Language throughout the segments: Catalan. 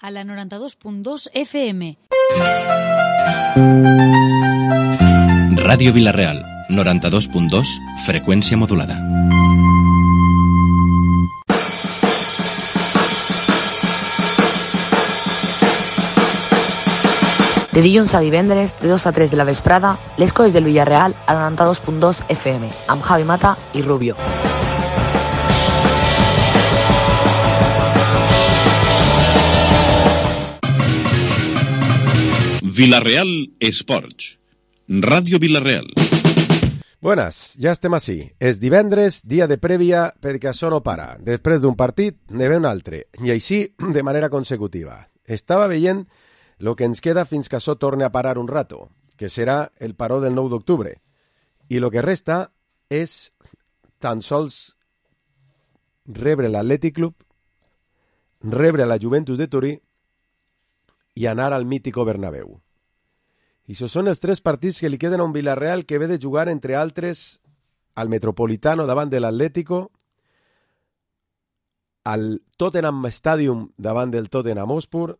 a la 92.2 FM. Ràdio Vila-real, 92.2, freqüència modulada. De dilluns a divendres, de 2 a 3 de la vesprada, les coses del Villarreal a la 92.2 FM, amb Javi Mata i Rubio. Vila-real Esports. Ràdio Vila-real. Buenas, ja estem ací. És divendres, dia de prèvia, perquè això no para. Després d'un partit, ne ve un altre. I així, de manera consecutiva. Estava veient lo que ens queda fins que això torni a parar un rato, que serà el paró del 9 d'octubre. I lo que resta és tan sols rebre l'Atlètic Club, rebre la Juventus de Turí i anar al mítico Bernabéu. I això són els 3 partits que li queden a un Villarreal que ve de jugar, entre altres, al Metropolitano davant de l'Atlético, al Tottenham Stadium davant del Tottenham Hotspur,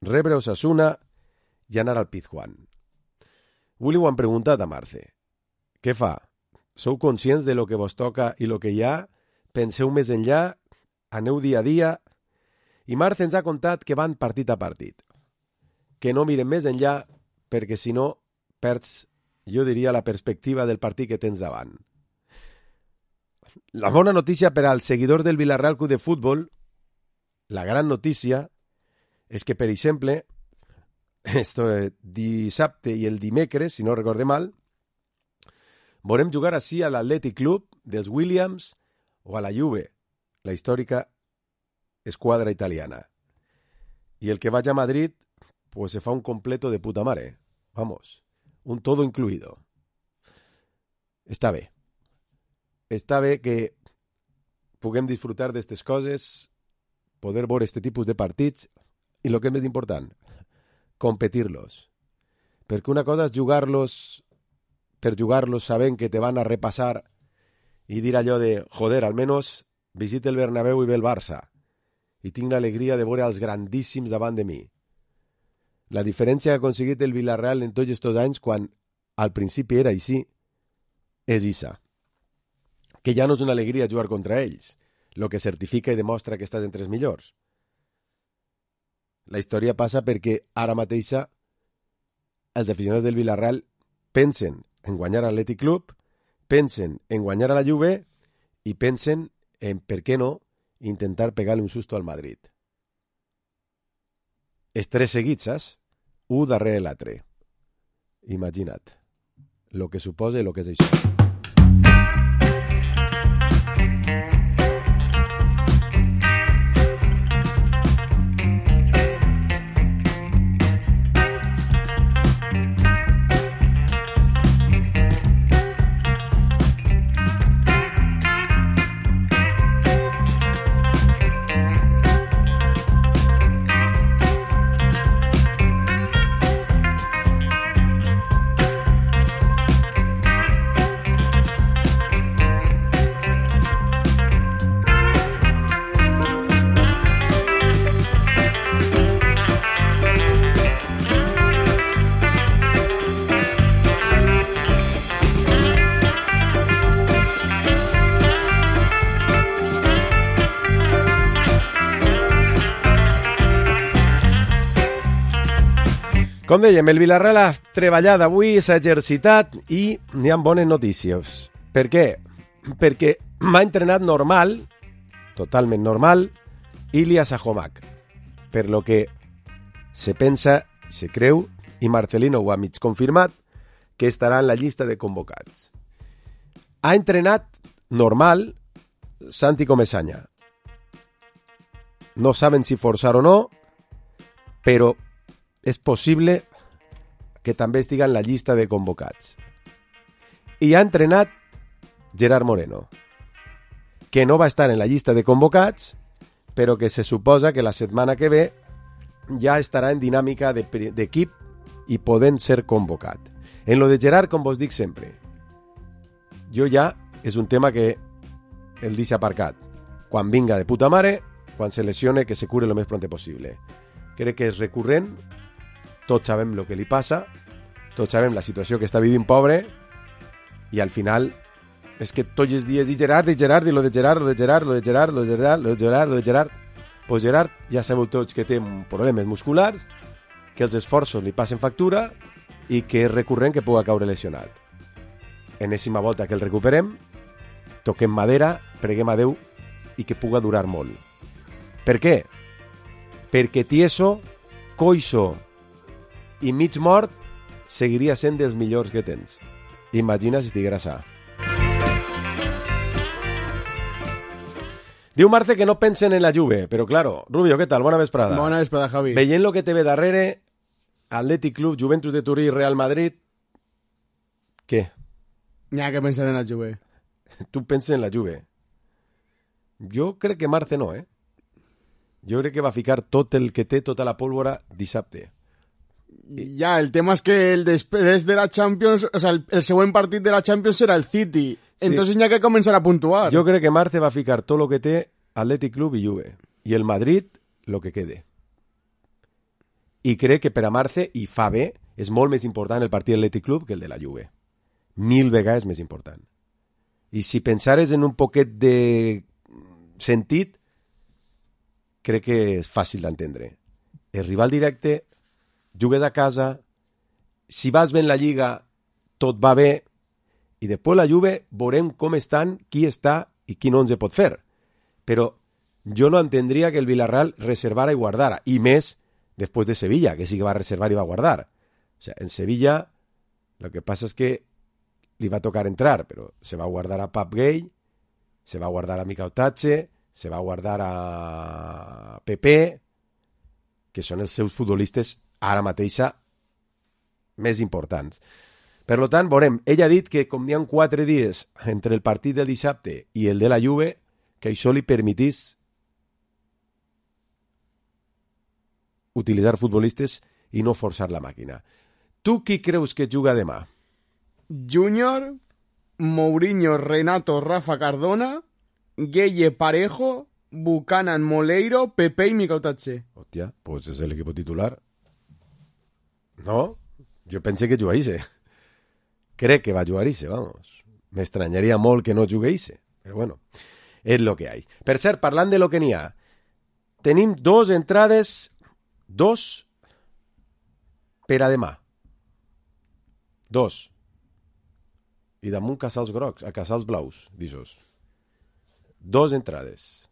rebre Osasuna i anar al Pizjuán. Avui li ho han preguntat a Marce. Què fa? Sou conscients de lo que vos toca i lo que hi ha? Penseu més enllà? Aneu dia a dia? I Marce ens ha contat que van partit a partit. Que no miren més enllà perquè si no perds, jo diria, la perspectiva del partit que tens davant. La bona notícia per als seguidors del Villarreal Club de Futbol, la gran notícia, és que, per exemple, dissabte i el dimecres, si no recorde mal, volem jugar així a l'Atlètic Club dels Williams o a la Juve, la històrica esquadra italiana. Y el que vaya a Madrid, pues se fa un completo de puta mare. Vamos, un todo incluido. Està bé. Està bé que puguem disfrutar d'aquestes coses, poder veure aquest tipus de partits i, el que és més important, competir-los. Perquè una cosa és jugar-los per jugar-los sabent que te van a repassar i dir allò de, joder, almenys visita el Bernabéu i ve el Barça i tinc l'alegria de veure els grandíssims davant de mi. La diferència que ha aconseguit el Villarreal en tots aquests anys, quan al principi era així, és issa. Que ja no és una alegria jugar contra ells, el que certifica i demostra que estàs entre els millors. La història passa perquè ara mateixa els aficionats del Villarreal pensen en guanyar a l'Atlètic Club, pensen en guanyar a la Juve i pensen en, per què no, intentar pegar-li un susto al Madrid. Els 3 seguits, saps? Un darrere l'altre. Imagina't. Lo que suposa i lo que és això. Com dèiem, el Villarreal ha treballat avui, s'ha exercitat i n'hi ha bones notícies. Per què? Perquè m'ha entrenat normal, totalment normal, Ilias Ahomac. Per lo que se pensa, se creu, i Marcelino ho ha mig confirmat, que estarà en la llista de convocats. Ha entrenat normal Santi Comesaña. No saben si forçar o no, però és possible que també estiga en la llista de convocats. I ha entrenat Gerard Moreno, que no va estar en la llista de convocats, però que se suposa que la setmana que ve ja estarà en dinàmica d'equip i podent ser convocat. En lo de Gerard, com vos dic sempre, jo ja és un tema que el deixa aparcat. Quan vinga de puta mare, quan se lesione, que se cure el més pront possible. Crec que és recurrent, tots sabem el que li passa, tots sabem la situació que està vivint pobre, i al final és que tots els dies, i Gerard, i lo de Gerard, pues Gerard ja sabeu tots que té problemes musculars, que els esforços li passen factura i que és recurrent que pugui caure lesionat. Enèsima volta que el recuperem, toquem madera, preguem a Déu i que puga durar molt. Per què? Perquè tieso, coixo i mig mort seguiria sent dels millors que tens. Imagina si estiguera sa. Diu Marce que no pensen en la Juve, però claro, Rubio, què tal? Bona vesprada. Bona vesprada, Javi. Veient lo que te ve darrere, Atlètic Club, Juventus de Turí, Real Madrid, què? N'hi ha que pensar en la Juve. Tu penses en la Juve. Jo crec que Marce no, Jo crec que va ficar tot el que té, tota la pólvora, dissabte. Ja, el tema és que el després de la Champions, o sea, el següent partit de la Champions serà el City. Entonces n'hi ha que començar a puntuar. Jo crec que Marce va ficar tot el que té Atlètic Club i Juve. I el Madrid, lo que quede. I crec que per a Marce, i fa bé, és molt més important el partit de l'Atlètic Club que el de la Juve. 1000 vegades més important. I si pensares en un poquet de sentit, crec que és fàcil d'entendre. El rival directe, jugues a casa, si vas bé en la Lliga, tot va bé, i després la Juve veurem com estan, qui està i qui no ens pot fer. Però jo no entendria que el Villarreal reservara i guardara, i més després de Sevilla, que sí que va reservar i va guardar. O sea, en Sevilla, lo que pasa es que li va tocar entrar, però se va guardar a Pap Gay, se va guardar a Mikau Tatche, se va guardar a Pepe, que són els seus futbolistes ara mateixa més importants. Per tant, veurem, ell ha dit que com n'hi ha 4 dies entre el partit del dissabte i el de la Juve, que això li permetís utilitzar futbolistes i no forçar la màquina. Tu qui creus que juga demà? Júnior, Mourinho, Renato, Rafa Cardona, Gueye, Parejo, Buchanan, Moleiro, Pepe i Mikau Tatche. Hòstia, pues és l'equip titular. No? Jo pensé que jugaïsse. Crec que va jugar-se, vamos. M'estranyaria molt que no jugueïsse. Però bueno, és lo que hay. Per cert, parlant de lo que n'hi ha, tenim 2 entrades, 2 per a demà. 2. I damunt casals grocs, a casals blaus, d'ixos. 2 entrades.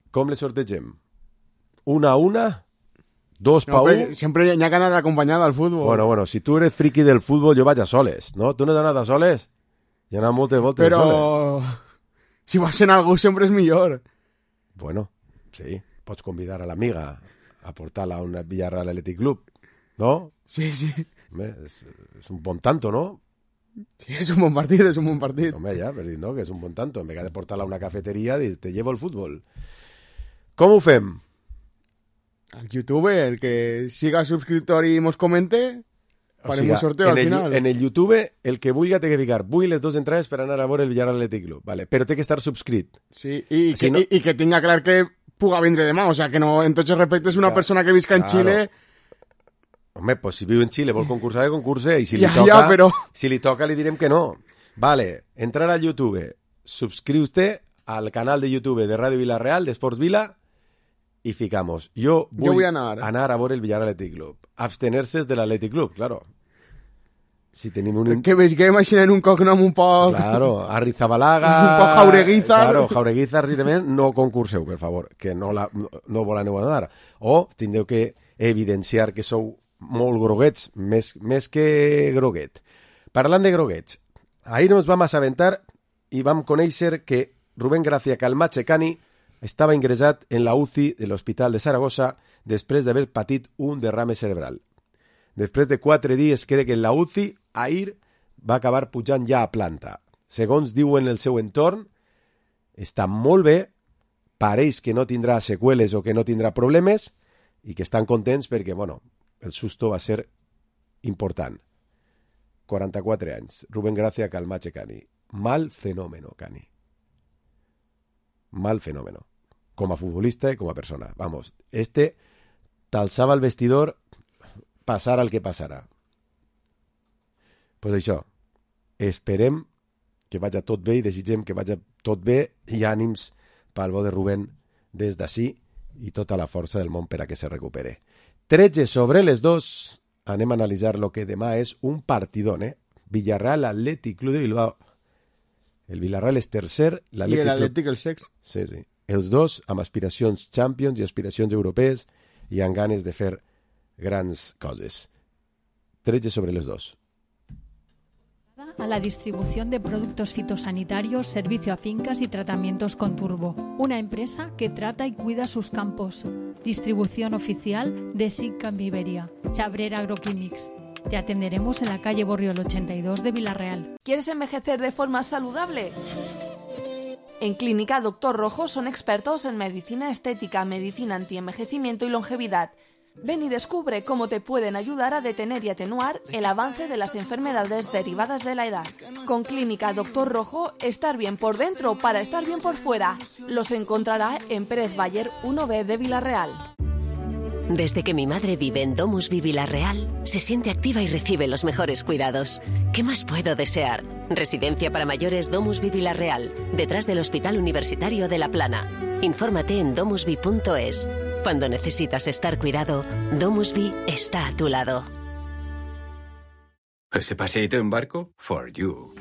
Com les sortegem? 1 a 1? 2 pa 1? Sempre n'hi ha que anar acompanyada al futbol. Bueno, si tu eres friki del futbol, jo vaig a soles, no? Tu no has anat a soles? Hi ha anat moltes voltes però soles. Si vas en algú sempre és millor. Bueno, sí. Pots convidar a l'amiga a portar-la a un Villarreal Athletic Club, no? Sí. Home, és un bon tanto, no? Sí, és un bon partit, és un bon partit. Home, ja, per dir, no? Que és un bon tanto. En vez de portar-la a una cafeteria, te llevo el futbol. Com ho fem? Al YouTube, el que siga subscriptor i mos comente, farem un sorteo al final. En el YouTube, el que vulgui té que ficar vull les 2 entrades per anar a veure el Villarreal Athletic Club, vale? Però té que estar subscrit. Sí, i que tinga clar que puga vindre demà, o sea, que no, en tots els respectes, una persona que visca en Xile... Home, pues si viu en Xile, vol concursar, que concurse, i si li toca li direm que no. Vale, entrar al YouTube, subscriu-te al canal de YouTube de Radio Villarreal, de Sports Vila, y ficamos. Yo voy a anar a veure el Villarreal Athletic Club. Abstenerse de l'Athletic Club, claro. Si tenim un... Que veig que imaginen un cognom un poc... Claro, Arrizabalaga... Un poc Jaureguizar. Claro, Jaureguizar, si també no concurseu, per favor, que no vol aneu a anar. O tindreu que evidenciar que sou molt groguets, més que groguet. Parlant de groguets, ahir ens vam assabentar i vam conèixer que Rubén Gracia Calmache-Cani estava ingressat en la UCI de l'Hospital de Saragossa després d'haver patit un derrame cerebral. Després de 4 dies crec que en la UCI, ahir va acabar pujant ja a planta. Segons diuen el seu entorn, està molt bé, pareix que no tindrà seqüeles o que no tindrà problemes i que estan contents perquè, bueno, el susto va ser important. 44 anys. Rubén Gracia Calmache Cani. Mal fenómeno, Cani. Mal fenómeno. com a futbolista i com a persona. Vamos, t'alçava el vestidor passara el que passara. Pues això, esperem que vagi tot bé i desitgem que vagi tot bé i ànims pel bo de Rubén des d'ací i tota la força del món per a que se recupere. 13 sobre les 2, anem a analitzar lo que demà és un partidón, Villarreal Athletic Club de Bilbao. El Villarreal és tercer, i l'Atlètic el sex. Sí, sí. Els dos amb aspiracions Champions i aspiracions europees i amb ganes de fer grans coses. 13 sobre les 2. A la distribución de productos fitosanitarios, servicio a fincas y tratamientos con turbo. Una empresa que trata y cuida sus campos. Distribución oficial de SICAM Iberia. Chabrera Agroquímics. Te atenderemos en la calle Borriol 82 de Villarreal. ¿Quieres envejecer de forma saludable? En Clínica Doctor Rojo son expertos en medicina estética, medicina antienvejecimiento y longevidad. Ven y descubre cómo te pueden ayudar a detener y atenuar el avance de las enfermedades derivadas de la edad. Con Clínica Doctor Rojo, estar bien por dentro para estar bien por fuera. Los encontrará en Pérez Bayer 1B de Villarreal. Desde que mi madre vive en Domusvi Villarreal, se siente activa y recibe los mejores cuidados. ¿Qué más puedo desear? Residencia para mayores Domusvi Villarreal, detrás del Hospital Universitario de La Plana. Infórmate en domusvi.es. Cuando necesitas estar cuidado, Domusvi está a tu lado. ¿Ese paseíto en barco? For you.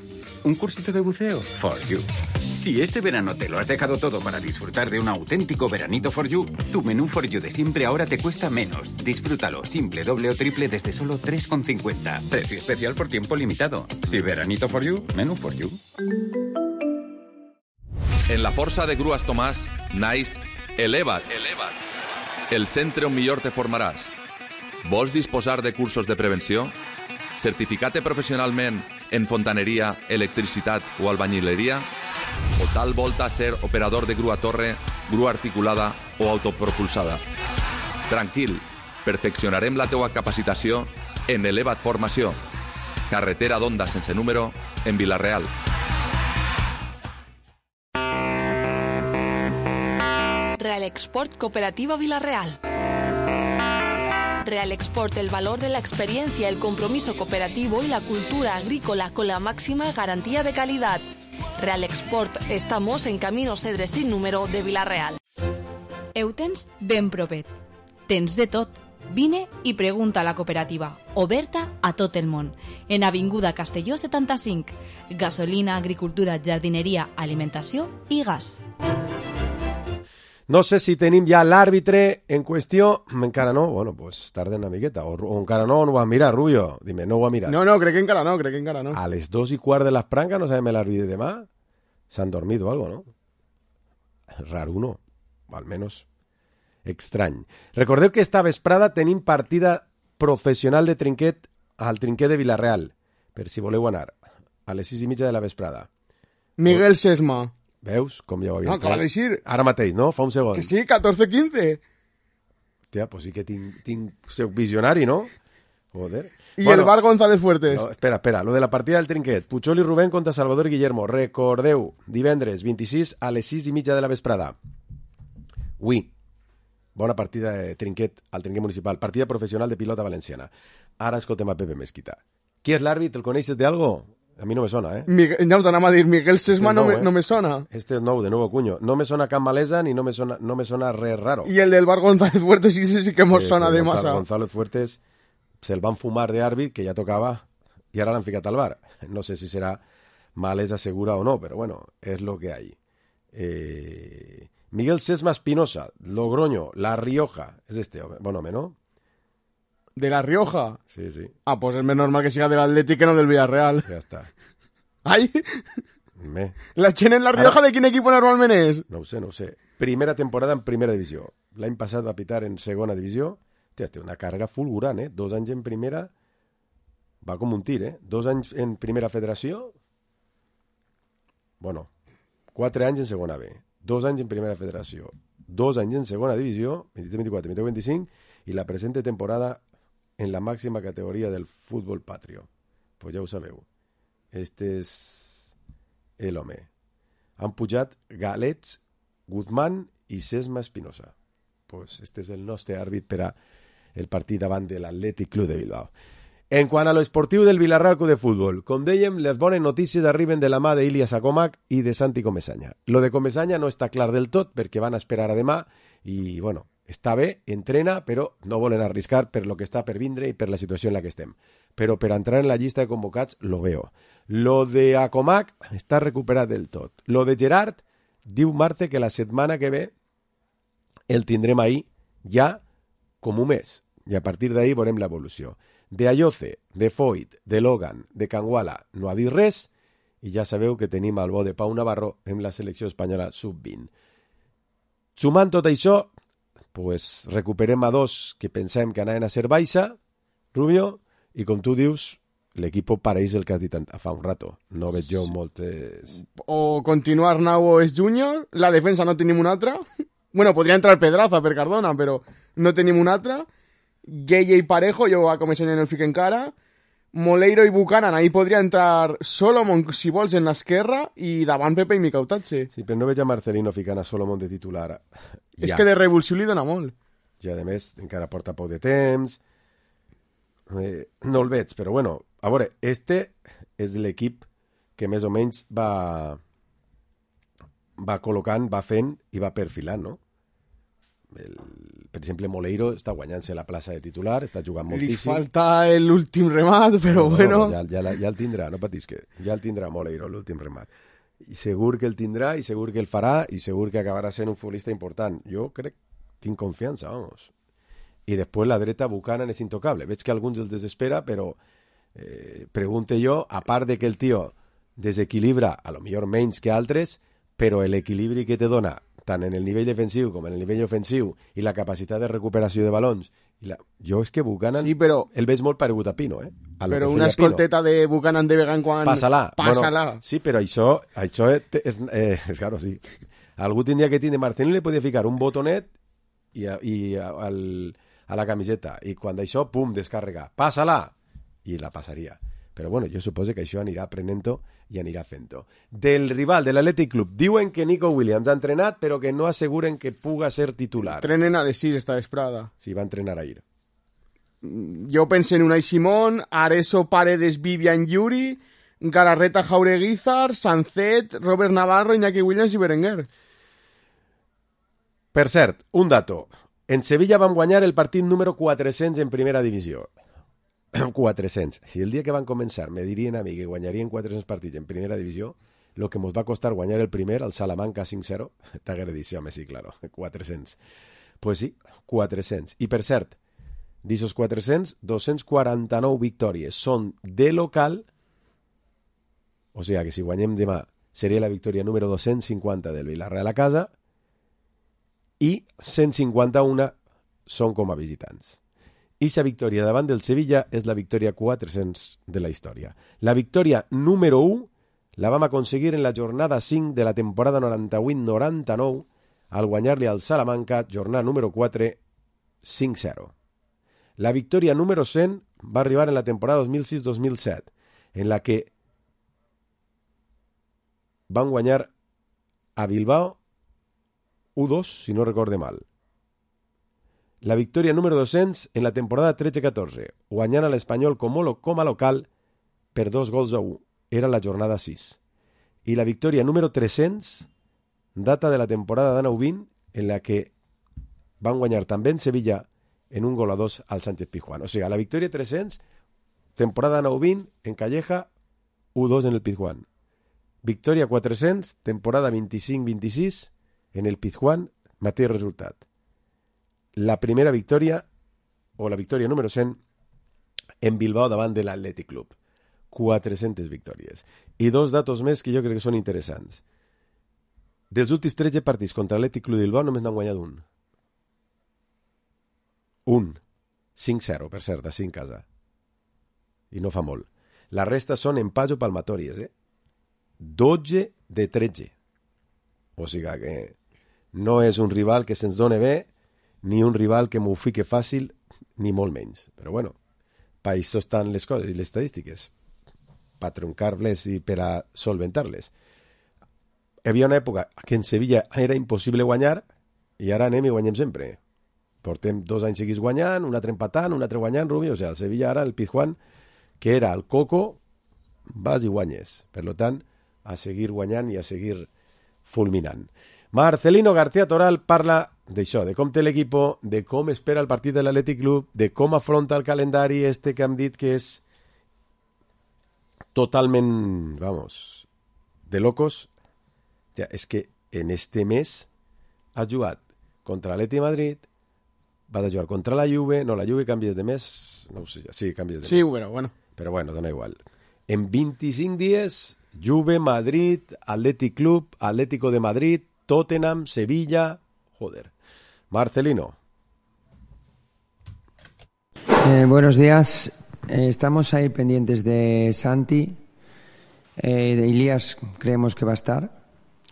¿Un cursito de buceo? For you. Si este verano te lo has dejado todo para disfrutar de un auténtico veranito for you, tu menú for you de siempre ahora te cuesta menos. Disfrútalo simple, doble o triple desde solo 3,50. Precio especial por tiempo limitado. Si veranito for you, menú for you. En la Força de Grues Tomàs, naix Eleva't. El centre on millor te formaràs. Vols disposar de cursos de prevenció? Certificar-te professionalment en fontaneria, electricitat o albañileria? O tal volta ser operador de grua torre, grua articulada o autopropulsada? Tranquil, perfeccionarem la teua capacitació en Eleva't Formació. Carretera d'Onda sense número, en Vilareal. Real Export Cooperativa Villarreal. Real Export, el valor de la experiencia, el compromiso cooperativo y la cultura agrícola con la máxima garantía de calidad. Real Export, estamos en Camino Cedre sin número de Villarreal. Eutens ben propet. Tens de tot. Vine i pregunta a la cooperativa, oberta a tot el món. En Avinguda Castelló 75. Gasolina, agricultura, jardineria, alimentació i gas. No sé si tenim ja l'àrbitre en qüestió. Encara no? Bueno, pues tarda una miqueta. O encara no ho has mirat, Rubio? Dime, no ho has mirat. No, crec que encara no. A les 2:15 de la franja no sabem l'àrbitre de demà. S'han dormido algo, ¿no? Raro, no? O al menos estrany. Recordeu que esta vesprada tenim partida professional de trinquet al trinquet de Vilareal, per si voleu anar, a les 6:30 de la vesprada. Miguel Sesma. Veus? Com ja ho havia dit. Acaba de dir. Ara mateix, no? Fa un segon. Que sí, 14-15. Hòstia, pues sí que soc visionari, no? Joder. I bueno, el Bar González Fuertes. No, espera. Lo de la partida del trinquet. Puchol i Rubén contra Salvador Guillermo. Recordeu, divendres 26 a les 6:30 de la vesprada. Ui. Bona partida de trinquet al trinquet municipal. Partida professional de pilota valenciana. Ara escoltem a Pepe Mesquita. Qui és l'àrbit? El coneixes de algo? A mi no me sona, ¿eh? No, t'anava a dir, Miguel Sesma no me sona. Este es nou, de nuevo cuño. No me sona Can Malesa ni no me sona res raro. Y el del Bar González Fuertes sí que mos sona de massa. González Fuertes se'l van fumar de àrbit, que ja tocava, i ara l'han ficat al bar. No sé si serà Malesa segura o no, però bueno, és lo que hay. Miguel Sesma Espinosa, Logroño, La Rioja. És este, bon home, ¿no? ¿De La Rioja? Sí. Ah, pues es más normal que siga del Atlético que no del Villarreal. Ja està. ¡Ay! La Chen en La Rioja, ¿de quin equipo normalment és? No ho sé. Primera temporada en primera divisió. L'any passat va pitar en segona divisió. Té una càrrega fulgurant, 2 anys en primera. Va com un tir, 2 anys en primera federació. Bueno, 4 anys en segona B. 2 anys en primera federació. 2 anys en segona divisió, 23-24, 23-25, i la presente temporada en la màxima categoria del futbol patrio. Pues ja ho sabeu. Este és l'home. Han pujat Galets, Guzmán i Sesma Espinosa. Pues este és el nostre àrbit per a el partit davant de l'Atlètic Club de Bilbao. En quant a l'esportiu del Villarreal Club de Futbol, com dèiem, les bones notícies arriben de la mà d'Ilias Acomac i de Santi Comesaña. Lo de Comesaña no està clar del tot perquè van a esperar a demà i, bueno, està bé, entrena, però no volen arriscar per lo que està per vindre i per la situació en la que estem. Però per entrar en la llista de convocats lo veo. Lo de Acomac està recuperat del tot. Lo de Gerard diu Marte que la setmana que ve el tindrem ahí ja com un mes i a partir d'ahí veurem l'evolució. De Ayoce, de Foyt, de Logan, de Canguala no ha dit res i ja sabeu que tenim el bo de Pau Navarro en la selecció espanyola sub-20. Sumant tot això, pues recuperem a dos que pensem que anaven a ser baixa, Rubio, i com tu dius, l'equip pareix el que has dit fa un rato. No veig jo moltes... O continuar Arnau és júnior, la defensa no tenim una altra. Bueno, podria entrar Pedraza per Cardona, però no tenim una altra. Gueye i Parejo, jo a Comesaña no el fic encara. Moleiro i Buchanan, ahí podria entrar Solomon, si vols, en l'esquerra, i davant Pepe i Mikautatxe. Sí, però no veig a Marcelino ficant a Solomon de titular. Ja. És que de revulsió li dona molt. I a més, encara porta poc de temps. No el veig, però bueno, a veure, este és l'equip que més o menys va col·locant, va fent i va perfilant, no? Per exemple, Moleiro està guanyant-se la plaça de titular, està jugant moltíssim. Li falta l'últim remat, però bueno... Ja el tindrà, no patis que ja el tindrà Moleiro, l'últim remat. I segur que el tindrà, i segur que el farà, i segur que acabarà sent un futbolista important. Jo crec, tinc confiança, vamos. I després la dreta Buchanan és intocable. Veig que alguns els desespera, però pregunte jo, a part de que el tio desequilibra, a lo millor menys que altres, però l'equilibri que te dona tant en el nivell defensiu com en el nivell ofensiu i la capacitat de recuperació de balons. Jo és que Buchanan el veig molt paregut a Pino. Però una escolteta de Buchanan de vegada en quan... Passa-la. Bueno, sí, però això és claro, sí. Algú tindria que tindre... Marcelino li podia ficar un botonet a la camiseta i quan d'això, pum, descàrrega. Passa-la! I la passaria. Però bueno, jo suposo que això anirà aprenent-ho i anirà fent-ho. Del rival de l'Atlètic Club, diuen que Nico Williams ha entrenat, però que no asseguren que puga ser titular. Trenen a les 6 esta vesprada. Sí, va entrenar ahir. Jo penso en Unai Simón, Areso, Paredes, Vivian, Yuri, Galarreta, Jaureguizar, Sancet, Robert Navarro, Iñaki Williams i Berenguer. Per cert, un dato. En Sevilla vam guanyar el partit número 400 en primera divisió. 400. Si el dia que van començar me dirien a mi que guanyarien 400 partits en primera divisió, lo que mos va costar guanyar el primer, al Salamanca 5-0, t'haguera dit, home, sí, claro, 400. Pues sí, 400. I per cert, d'aixòs 400, 249 victòries són de local, o sigui que si guanyem demà seria la victòria número 250 del Villarreal a casa i 151 són com a visitants. Ixa victòria davant del Sevilla és la victòria 400 de la història. La victòria número 1 la vam aconseguir en la jornada 5 de la temporada 98-99 al guanyar-li al Salamanca, jornada número 4, 5-0. La victòria número 100 va arribar en la temporada 2006-2007, en la que van guanyar a Bilbao 1-2, si no recorde mal. La victòria número 200 en la temporada 13-14, guanyant a l'Espanyol com a local per 2-1. Era la jornada 6. I la victòria número 300 data de la temporada de 9-20, en la que van guanyar també en Sevilla en 1-2 al Sánchez Pizjuán. O sigui, la victòria 300, temporada 9-20, en Calleja, 1-2 en el Pizjuán. Victòria 400, temporada 25-26, en el Pizjuán, mateix resultat. La primera victòria, o la victòria número 100, en Bilbao davant de l'Atlètic Club. 400 victòries. I dos datos més que jo crec que són interessants. Dels últims 13 partits contra l'Atlètic Club de Bilbao només n'han guanyat un. Un. 5-0, per cert, així en casa. I no fa molt. La resta són empats o palmatòries, 12 de 13. O sigui que no és un rival que se'ns doni bé, ni un rival que m'ho fique fàcil, ni molt menys. Però bueno, per això estan les coses i les estadístiques, per troncar-les i per a solventar-les. Hi havia una època que en Sevilla era impossible guanyar i ara anem i guanyem sempre. Portem 2 anys seguits guanyant, un altre empatant, un altre guanyant, Rubi. O sigui, el Sevilla ara, el Pizjuán, que era el Coco, vas i guanyes. Per tant, a seguir guanyant i a seguir fulminant. Marcelino García Toral parla d'això, de com té l'equip, de com espera el partit de l'Athletic Club, de com afronta el calendari que hem dit que és totalment, vamos, de locos. Ja, és que en este mes has jugat contra l'Atleti de Madrid, vas a jugar contra la Juve, no, la Juve canvies de mes, no ho sé, sí, canvies de mes. Sí, bueno. Però bueno, dona igual. En 25 dies, Juve, Madrid, Athletic Club, Atlético de Madrid, Tottenham, Sevilla, joder. Marcelino. Buenos días. Estamos ahí pendientes de Santi. De Ilías creemos que va a estar,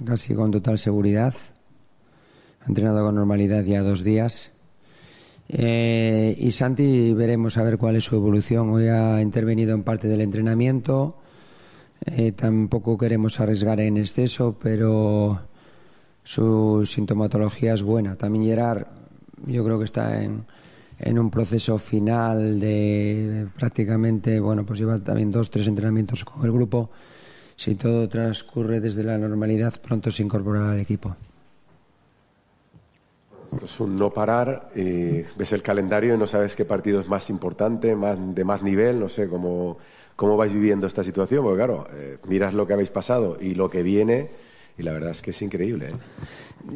casi con total seguridad. Ha entrenado con normalidad ya 2 días. Y Santi veremos a ver cuál es su evolución. Hoy ha intervenido en parte del entrenamiento. Tampoco queremos arriesgar en exceso, pero su sintomatología es buena. También Gerard, yo creo que está en un proceso final de prácticamente, bueno, pues lleva también 2-3 entrenamientos con el grupo. Si todo transcurre desde la normalidad, pronto se incorporará al equipo. Es un no parar, ves el calendario y no sabes qué partido es más importante, de más nivel, no sé cómo vais viviendo esta situación, porque claro, miras lo que habéis pasado y lo que viene y la verdad es que es increíble.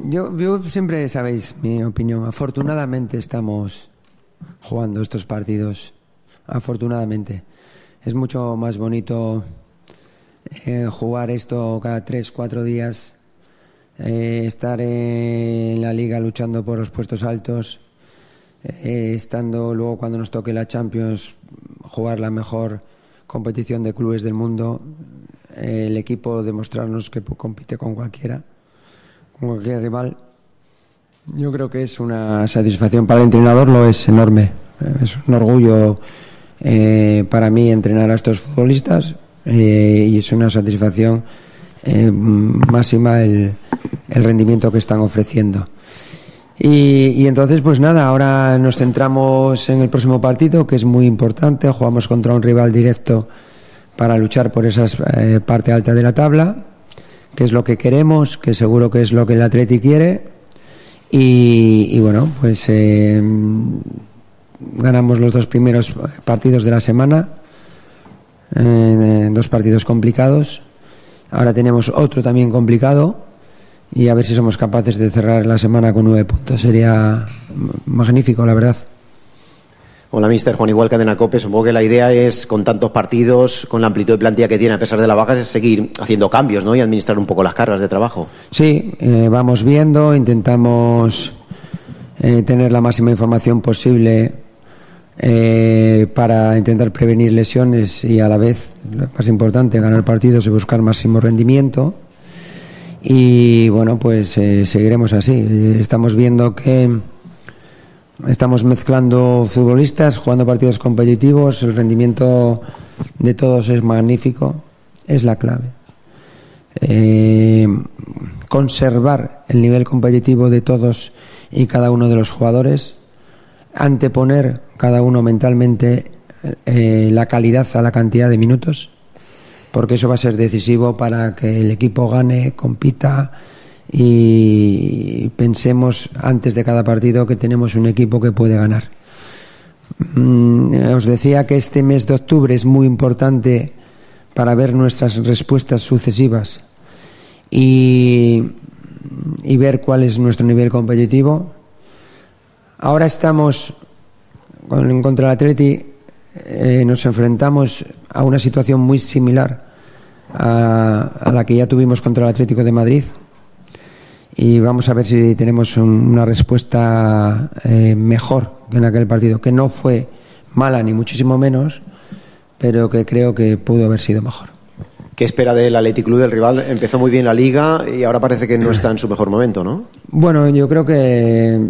Yo siempre sabéis mi opinión, afortunadamente estamos jugando estos partidos, afortunadamente. Es mucho más bonito jugar esto cada 3-4 días. Estar en la liga luchando por los puestos altos, estando luego cuando nos toque la Champions jugar la mejor competición de clubes del mundo, el equipo demostrarnos que compite con cualquier rival. Yo creo que es una satisfacción para el entrenador, lo es enorme, es un orgullo para mí entrenar a estos futbolistas y es una satisfacción máxima el rendimiento que están ofreciendo. Y entonces pues nada, ahora nos centramos en el próximo partido, que es muy importante. Jugamos contra un rival directo para luchar por esa parte alta de la tabla, que es lo que queremos, que seguro que es lo que el Atleti quiere. Y bueno, pues ganamos los 2 primeros partidos de la semana, 2 partidos complicados. Ahora tenemos otro también complicado y a ver si somos capaces de cerrar la semana con 9 puntos. Sería magnífico, la verdad. Hola, mister. Juan Igual, Cadena COPE. Supongo que la idea es, con tantos partidos, con la amplitud de plantilla que tiene a pesar de la baja, es seguir haciendo cambios, ¿no? Y administrar un poco las cargas de trabajo. Sí, vamos viendo, intentamos tener la máxima información posible para intentar prevenir lesiones y a la vez, lo más importante, ganar partidos y buscar máximo rendimiento. Y bueno, pues seguiremos así. Estamos viendo que estamos mezclando futbolistas, jugando partidos competitivos. El rendimiento de todos es magnífico, es la clave. Conservar el nivel competitivo de todos y cada uno de los jugadores, anteponer cada uno mentalmente la calidad a la cantidad de minutos, porque eso va a ser decisivo para que el equipo gane, compita y pensemos antes de cada partido que tenemos un equipo que puede ganar. Os decía que este mes de octubre es muy importante para ver nuestras respuestas sucesivas y ver cuál es nuestro nivel competitivo. Ahora estamos contra el Atleti, nos enfrentamos a una situación muy similar a la que ya tuvimos contra el Atlético de Madrid y vamos a ver si tenemos una respuesta mejor que en aquel partido, que no fue mala ni muchísimo menos, pero que creo que pudo haber sido mejor. ¿Qué espera del Athletic Club? El rival empezó muy bien la liga y ahora parece que no está en su mejor momento, ¿no? Bueno, yo creo que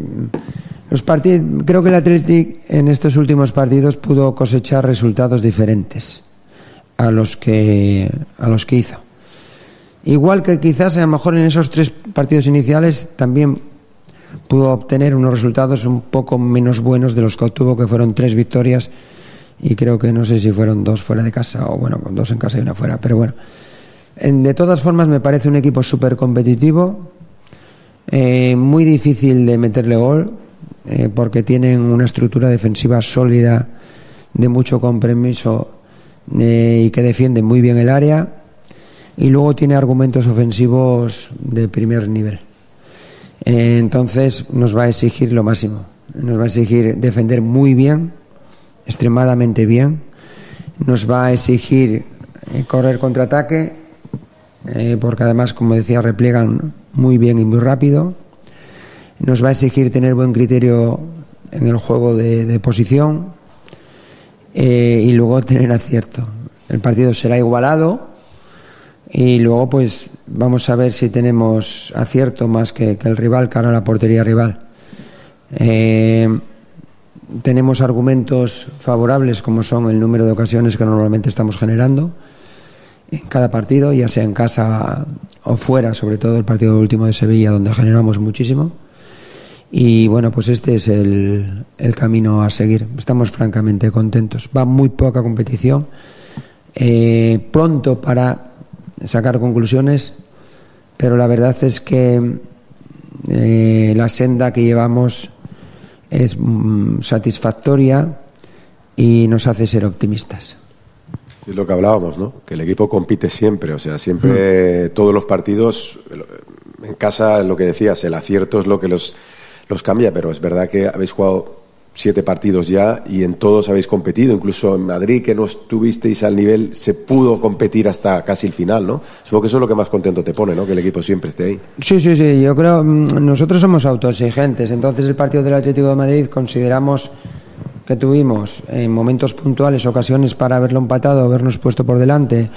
creo que el Athletic en estos últimos partidos pudo cosechar resultados diferentes a los que hizo. Igual que quizás a lo mejor en esos 3 partidos iniciales también pudo obtener unos resultados un poco menos buenos de los que obtuvo, que fueron 3 victorias y creo que no sé si fueron 2 fuera de casa o bueno, 2 en casa y 1 fuera, pero bueno. De todas formas me parece un equipo súper competitivo, muy difícil de meterle gol, porque tienen una estructura defensiva sólida, de mucho compromiso y que defienden muy bien el área, y luego tiene argumentos ofensivos de primer nivel. Entonces nos va a exigir lo máximo, nos va a exigir defender muy bien, extremadamente bien, nos va a exigir correr contraataque, porque además, como decía, repliegan muy bien y muy rápido. Nos va a exigir tener buen criterio en el juego de posición, y luego tener acierto. El partido será igualado y luego pues vamos a ver si tenemos acierto más que el rival, cara a la portería rival. Tenemos argumentos favorables, como son el número de ocasiones que normalmente estamos generando en cada partido, ya sea en casa o fuera, sobre todo el partido último de Sevilla, donde generamos muchísimo. Y bueno, pues este es el camino a seguir. Estamos francamente contentos. Va muy poca competición, pronto para sacar conclusiones, pero la verdad es que la senda que llevamos es satisfactoria y nos hace ser optimistas. Sí, es lo que hablábamos, ¿no? Que el equipo compite siempre, o sea, siempre todos los partidos, en casa, lo que decías, el acierto es lo que los cambia, pero es verdad que habéis jugado 7 partidos ya y en todos habéis competido, incluso en Madrid, que no estuvisteis al nivel, se pudo competir hasta casi el final, ¿no? Supongo que eso es lo que más contento te pone, ¿no? Que el equipo siempre esté ahí. Sí, yo creo, nosotros somos autoexigentes, entonces el partido del Atlético de Madrid consideramos que tuvimos en momentos puntuales ocasiones para haberlo empatado, habernos puesto por delante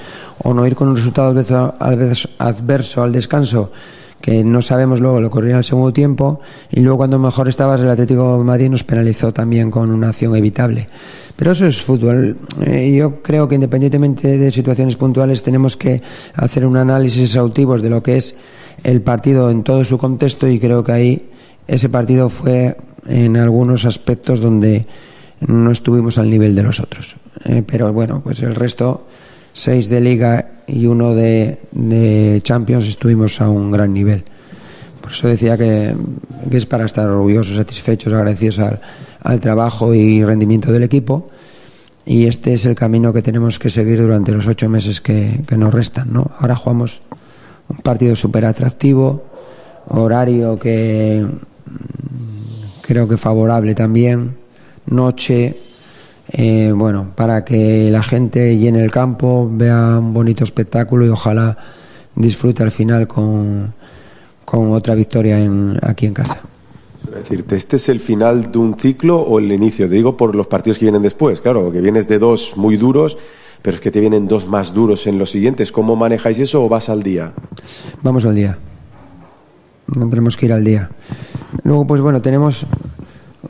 o no ir con un resultado adverso al descanso, que no sabemos luego lo ocurrirá en el segundo tiempo, y luego cuando mejor estabas el Atlético de Madrid nos penalizó también con una acción evitable. Pero eso es fútbol. Yo creo que independientemente de situaciones puntuales tenemos que hacer un análisis exhaustivo de lo que es el partido en todo su contexto, y creo que ahí ese partido fue en algunos aspectos donde no estuvimos al nivel de los otros. Pero bueno, pues el resto, 6 de Liga y 1 de Champions, estuvimos a un gran nivel. Por eso decía que es para estar orgullosos, satisfechos, agradecidos al trabajo y rendimiento del equipo, y este es el camino que tenemos que seguir durante los 8 meses que nos restan, ¿no? Ahora jugamos un partido súper atractivo, horario que creo que favorable también, noche, bueno, para que la gente llene el campo, vea un bonito espectáculo y ojalá disfrute al final con otra victoria aquí en casa. Es decir, ¿este es el final de un ciclo o el inicio? Te digo por los partidos que vienen después, claro, que vienes de 2 muy duros, pero es que te vienen 2 más duros en los siguientes. ¿Cómo manejáis eso o vas al día? Vamos al día. Tendremos que ir al día. Luego, pues bueno, tenemos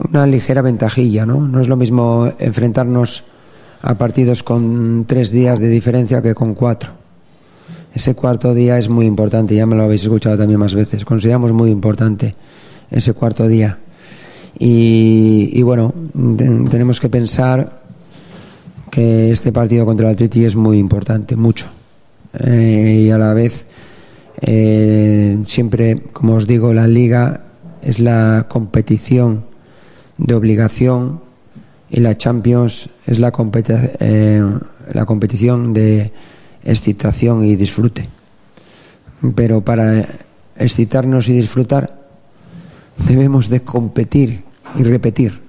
una ligera ventajilla, ¿no? No es lo mismo enfrentarnos a partidos con 3 días de diferencia que con 4. Ese cuarto día es muy importante, ya me lo habéis escuchado también más veces. Consideramos muy importante ese cuarto día. Y bueno, tenemos que pensar que este partido contra el Atleti es muy importante, mucho. Y a la vez, siempre, como os digo, la Liga es la competición de obligación y la Champions es la competición de excitación y disfrute. Pero para excitarnos y disfrutar debemos de competir y repetir,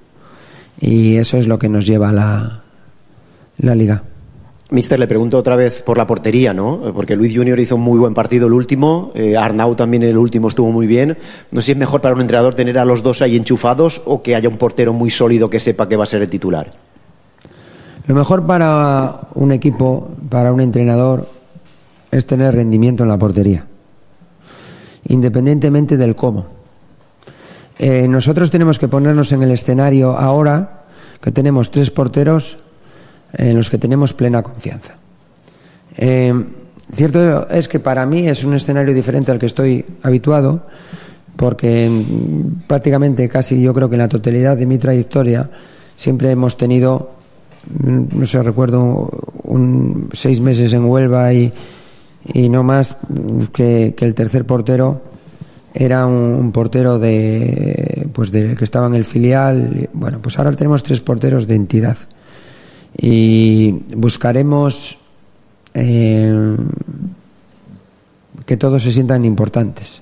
y eso es lo que nos lleva a la Liga. Mister, le pregunto otra vez por la portería, ¿no? Porque Luis Junior hizo un muy buen partido el último, Arnau también el último estuvo muy bien. No sé si es mejor para un entrenador tener a los dos ahí enchufados o que haya un portero muy sólido que sepa que va a ser el titular. Lo mejor para un equipo, para un entrenador, es tener rendimiento en la portería, independientemente del cómo. Nosotros tenemos que ponernos en el escenario ahora que tenemos 3 porteros en los que tenemos plena confianza. Cierto es que para mí es un escenario diferente al que estoy habituado, porque prácticamente casi yo creo que en la totalidad de mi trayectoria siempre hemos tenido, no sé, recuerdo 6 meses en Huelva y no más, que el tercer portero era un portero que estaba en el filial. Bueno, pues ahora tenemos 3 porteros de entidad y buscaremos que todos se sientan importantes.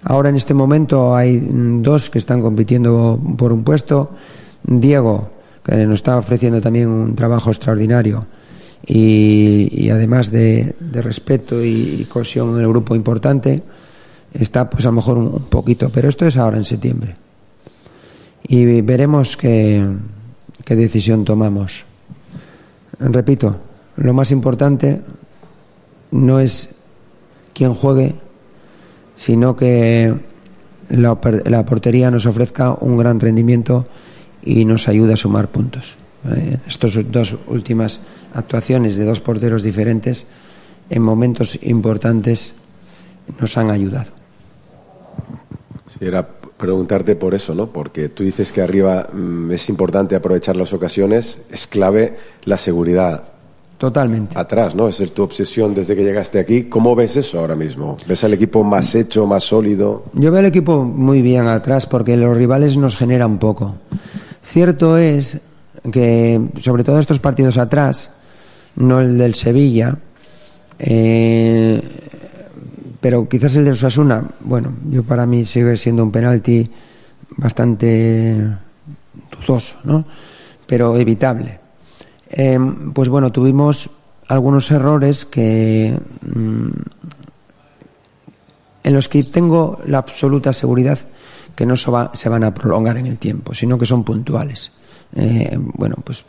Ahora en este momento hay 2 que están compitiendo por un puesto. Diego, que nos está ofreciendo también un trabajo extraordinario y además de respeto y cohesión en el grupo importante, está pues a lo mejor un poquito, pero esto es ahora en septiembre y veremos qué decisión tomamos. Repito, lo más importante no es quién juegue, sino que la portería nos ofrezca un gran rendimiento y nos ayude a sumar puntos. Estas 2 últimas actuaciones de 2 porteros diferentes en momentos importantes nos han ayudado. Sí, era preguntarte por eso, ¿no? Porque tú dices que arriba es importante aprovechar las ocasiones, es clave la seguridad. Totalmente. Atrás, ¿no? Esa es tu obsesión desde que llegaste aquí. ¿Cómo ves eso ahora mismo? ¿Ves al equipo más hecho, más sólido? Yo veo al equipo muy bien atrás porque los rivales nos generan poco. Cierto es que, sobre todo estos partidos atrás, no el del Sevilla, pero quizás el de Osasuna, bueno, para mí sigue siendo un penalti bastante dudoso, ¿no? Pero evitable. Pues bueno, tuvimos algunos errores en los que tengo la absoluta seguridad que no se van a prolongar en el tiempo, sino que son puntuales. Bueno, pues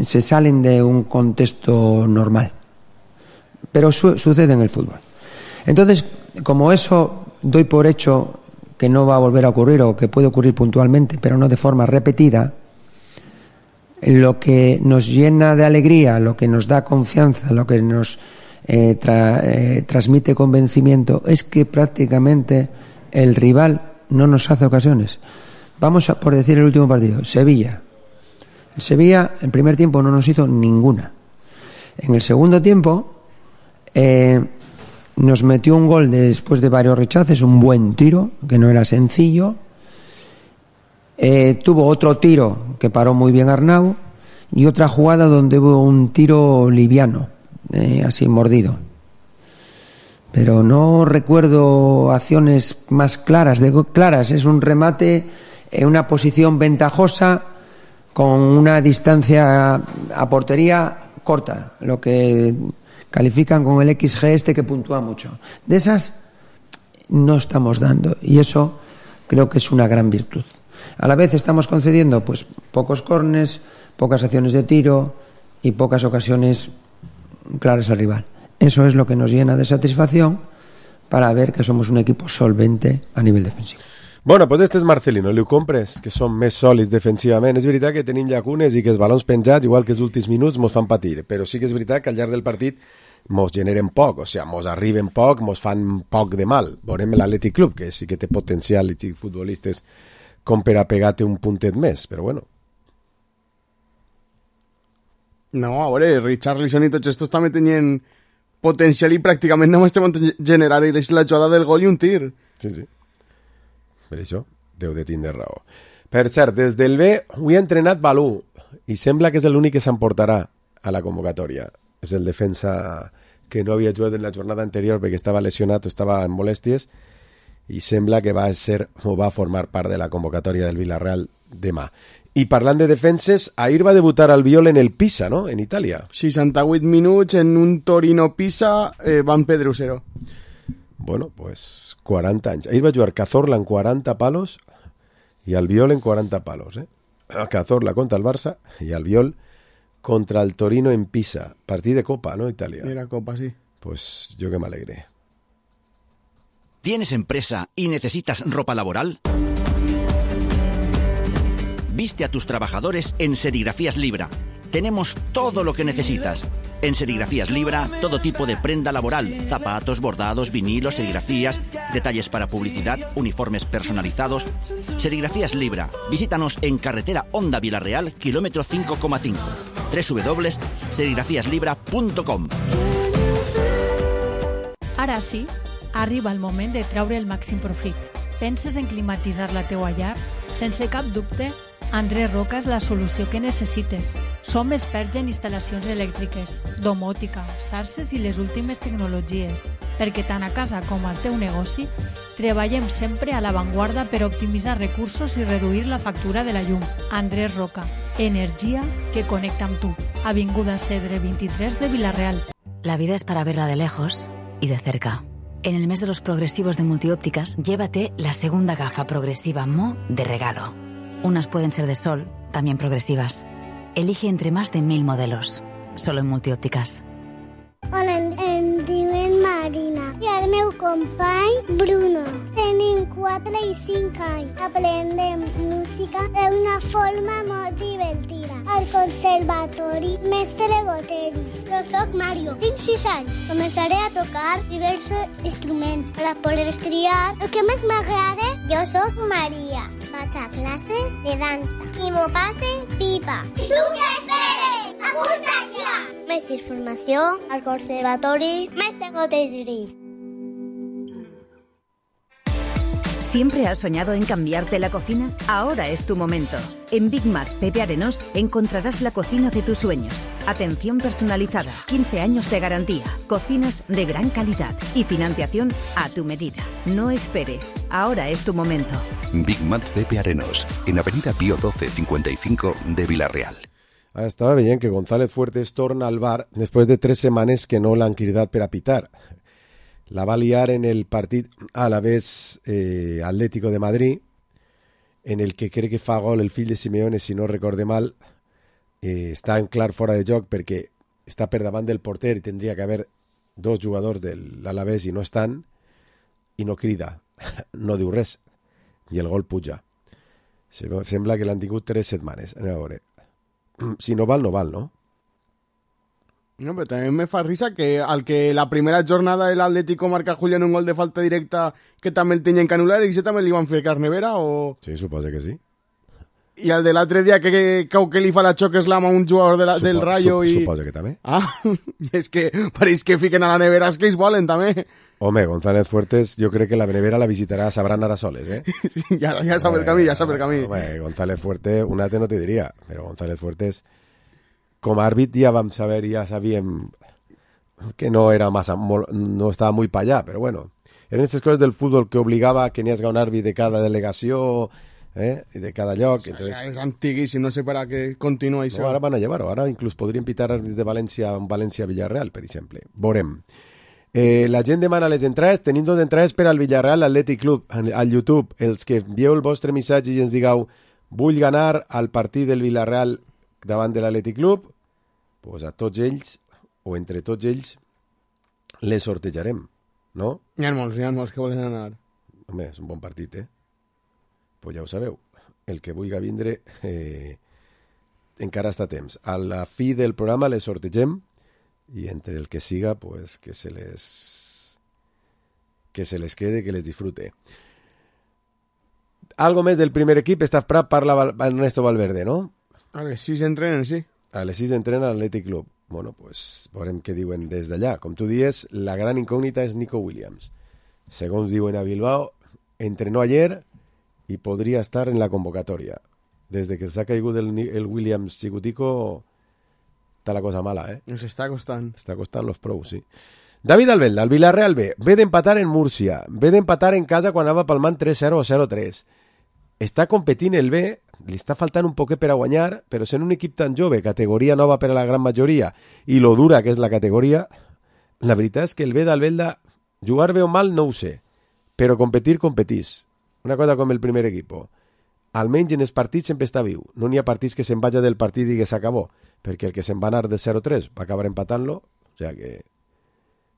se salen de un contexto normal, pero sucede en el fútbol. Entonces, como eso doy por hecho que no va a volver a ocurrir o que puede ocurrir puntualmente, pero no de forma repetida, lo que nos llena de alegría, lo que nos da confianza, lo que nos transmite convencimiento es que prácticamente el rival no nos hace ocasiones. Vamos a por decir el último partido, Sevilla. El Sevilla en primer tiempo no nos hizo ninguna. En el segundo tiempo nos metió un gol después de varios rechaces, un buen tiro que no era sencillo. Tuvo otro tiro que paró muy bien Arnau y otra jugada donde hubo un tiro liviano, así mordido. Pero no recuerdo acciones más claras. Es un remate en una posición ventajosa con una distancia a portería corta, lo que califican con el XG que puntúa mucho. De esas no estamos dando y eso creo que es una gran virtud. A la vez estamos concediendo pues pocos córners, pocas acciones de tiro y pocas ocasiones claras al rival. Eso es lo que nos llena de satisfacción para ver que somos un equipo solvente a nivel defensivo. Bueno, pues este és Marcelino, li ho compres, que són més sòlids defensivament. És veritat que tenim llacunes i que els balons penjats, igual que els últims minuts, mos fan patir, però sí que és veritat que al llarg del partit mos generen poc, o sigui, mos arriben poc, mos fan poc de mal. Veurem l'Atlètic Club, que sí que té potencial i futbolistes com per a pegar-te un puntet més, però bueno. No, a veure, Richarlison i tots estos també tenien potencial i pràcticament només estem generar la jugada del gol i un tir. Sí, sí. Per això deu de tindre raó. Per cert, des del B avui ha entrenat Balú i sembla que és l'únic que s'emportarà a la convocatòria. És el defensa que no havia jugat en la jornada anterior perquè estava lesionat o estava en molèsties i sembla que va formar part de la convocatòria del Villarreal demà. I parlant de defenses, ahir va debutar Albiol en el Pisa, no?, en Itàlia. 68 minuts en un Torino-Pisa, Van Pedrusero. Bueno, pues 40 anys. Ahir va jugar Cazorla en 40 palos i Albiol en 40 palos, Cazorla contra el Barça i Albiol contra el Torino en Pisa. Partit de Copa, ¿no?, Italia. Era Copa, sí. Pues yo que me alegré. ¿Tienes empresa y necesitas ropa laboral? Viste a tus trabajadores en Serigrafías Libra. Tenemos todo lo que necesitas. En Serigrafías Libra, todo tipo de prenda laboral, zapatos, bordados, vinilos, serigrafías, detalles para publicidad, uniformes personalizados. Serigrafías Libra. Visítanos en carretera Honda Vilareal, kilómetro 5,5. www.serigrafiaslibra.com. Ara sí, arriba el moment de treure el màxim profit. Penses en climatitzar la teua llar? Sense cap dubte, Andrés Roca és la solució que necessites. Som experts en instal·lacions elèctriques, domòtica, xarxes i les últimes tecnologies, perquè tant a casa com al teu negoci treballem sempre a l'avantguarda per optimitzar recursos i reduir la factura de la llum. Andrés Roca, energia que connecta amb tu. Avinguda Cedre 23 de Vilareal. La vida es para verla de lejos y de cerca. En el mes de los progresivos de Multiópticas, llévate la segunda gafa progresiva Mo de regalo. Unas pueden ser de sol, también progresivas. Elige entre más de 1000 modelos, solo en Multiópticas. Hola, em diuen Marina i el meu company Bruno. Tenim 4 i 5 anys. Aprendem música d'una forma molt divertida. Al conservatori Mestre Goteris. Jo soc Mario, tinc 6 anys. Començaré a tocar diversos instruments per poder triar el que més m'agrada. Jo soc Maria. Vaig a classes de dansa i m'ho passe pipa. I tu què esperes? Apunta't ja! Més informació al Conservatori Mestre Goteris. ¿Siempre has soñado en cambiarte la cocina? Ahora es tu momento. En Big Mac Pepe Arenós encontrarás la cocina de tus sueños. Atención personalizada, 15 años de garantía, cocinas de gran calidad y financiación a tu medida. No esperes, ahora es tu momento. Big Mac Pepe Arenós, en Avenida Pío 12, 55 de Vilareal. Estava veient que González Fuertes torna al bar després de 3 setmanes que no l'han cridat per a pitar. La va liar en el partit Alavés Atlético de Madrid, en el que crec que fa gol el fill de Simeone, si no recorde mal. Està en clar fora de joc perquè està per davant del porter i tindria que haver 2 jugadors de l'Alavés i no estan, i no crida, no diu res, i el gol puja. Sembla que l'han tingut 3 setmanes. Anem a veure. Si no val, no val, no? No, però també me fa risa que al que la primera jornada el Atlético marca Julián un gol de falta directa que també el tenien que anul·lar i que també li van fer carnevera o... Sí, suposa que sí. I el de l'altre dia que li fa la xoc slam a un jugador del Rayo i... Suposa que també. Ah, és que pareix que fiquen a la nevera els que ells volen també. Home, González Fuertes jo crec que la nevera la visitarà Sabran Arasoles, eh? Sí, ja sabe el camí, ja sabe el camí. Home, González Fuertes, un altre no te diria, però González Fuertes... Com a àrbit ja vam saber, ja sabíem que no era massa, no estava muy para allá, però bueno, eren aquestes coses del futbol que obligava que n'hi hagi un àrbit de cada delegació i de cada lloc. O sea, entonces... ja és antiguíssim, no sé per a què continua això. No, ara van a llevar-ho, ara inclús podrien pitar àrbits de València en València-Villarreal, per exemple. Veurem. La gent demana les entrades, tenim 2 entrades per al Villarreal Athletic Club al YouTube. Els que envieu el vostre missatge i ens digueu vull ganar al partit del Villarreal davant de l'Athletic Club, pues a tots ells, o entre tots ells, les sortejarem, no? Hi ha molts que volen anar. Home, és un bon partit, Pues ja ho sabeu. El que vulgui vindre encara està a temps. A la fi del programa les sortegem i entre el que siga, pues que se les quede, que les disfrute. Algo més del primer equip. Estàs prat, parla Ernesto Valverde, no? A les 6 entrenen, sí. A les 6 entrena l'Athletic Club. Bueno, pues veurem què diuen des d'allà. Com tu dies, la gran incògnita és Nico Williams. Segons diuen a Bilbao, entrenó ayer y podría estar en la convocatoria. Desde que se ha caigut el Williams Chicutico, está la cosa mala, Nos está costant. Està costant los pros, sí. David Albelda, el Villarreal B, ve d'empatar en Múrcia, ve d'empatar en casa quan anava palmant 3-0 o 0-3. Està competint el B, li està faltant un poquet per a guanyar, però sent un equip tan jove, categoria nova per a la gran majoria, i lo dura que és la categoria, la veritat és que el B d'Albelda, jugar bé o mal no ho sé, però competir, competís. Una cosa com el primer equip. Almenys en els partits sempre està viu. No n'hi ha partits que se'n vagi del partit i que s'acabó, perquè el que se'n va anar de 0-3 va acabar empatant-lo, o sigui que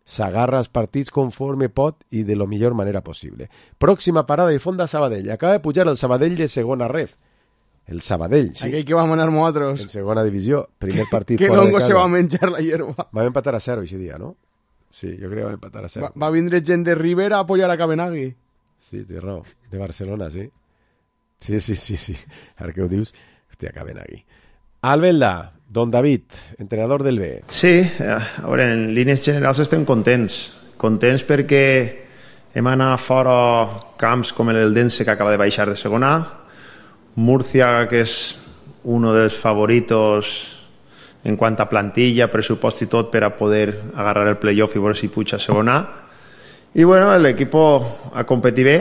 s'agarra els partits conforme pot i de la millor manera possible. Pròxima parada i Fonda Sabadell. Acaba de pujar el Sabadell de segona ref. el Sabadell. Sí. Aquell que va manar nosaltres. En segona divisió, primer partit que fora de casa. Longo se va menjar la hierba. Vam empatar a 0 ese dia, no? Sí, jo crec que vam empatar a 0. Va vindre gent de Rivera a apoyar a Cabenagui. Sí, té raó. De Barcelona, sí. Sí. Ara que ho dius, hòstia, Cabenagui. Albelda, Don David, entrenador del B. Sí, a veure, en línies generals estem contents. Contents perquè hem anat fora camps com l'Eldense, que acaba de baixar de segona, Murcia, que és uno dels favoritos en quant a plantilla, pressupost i tot per a poder agarrar el playoff i veure si puja a segona. I bueno, l'equip ha competit bé.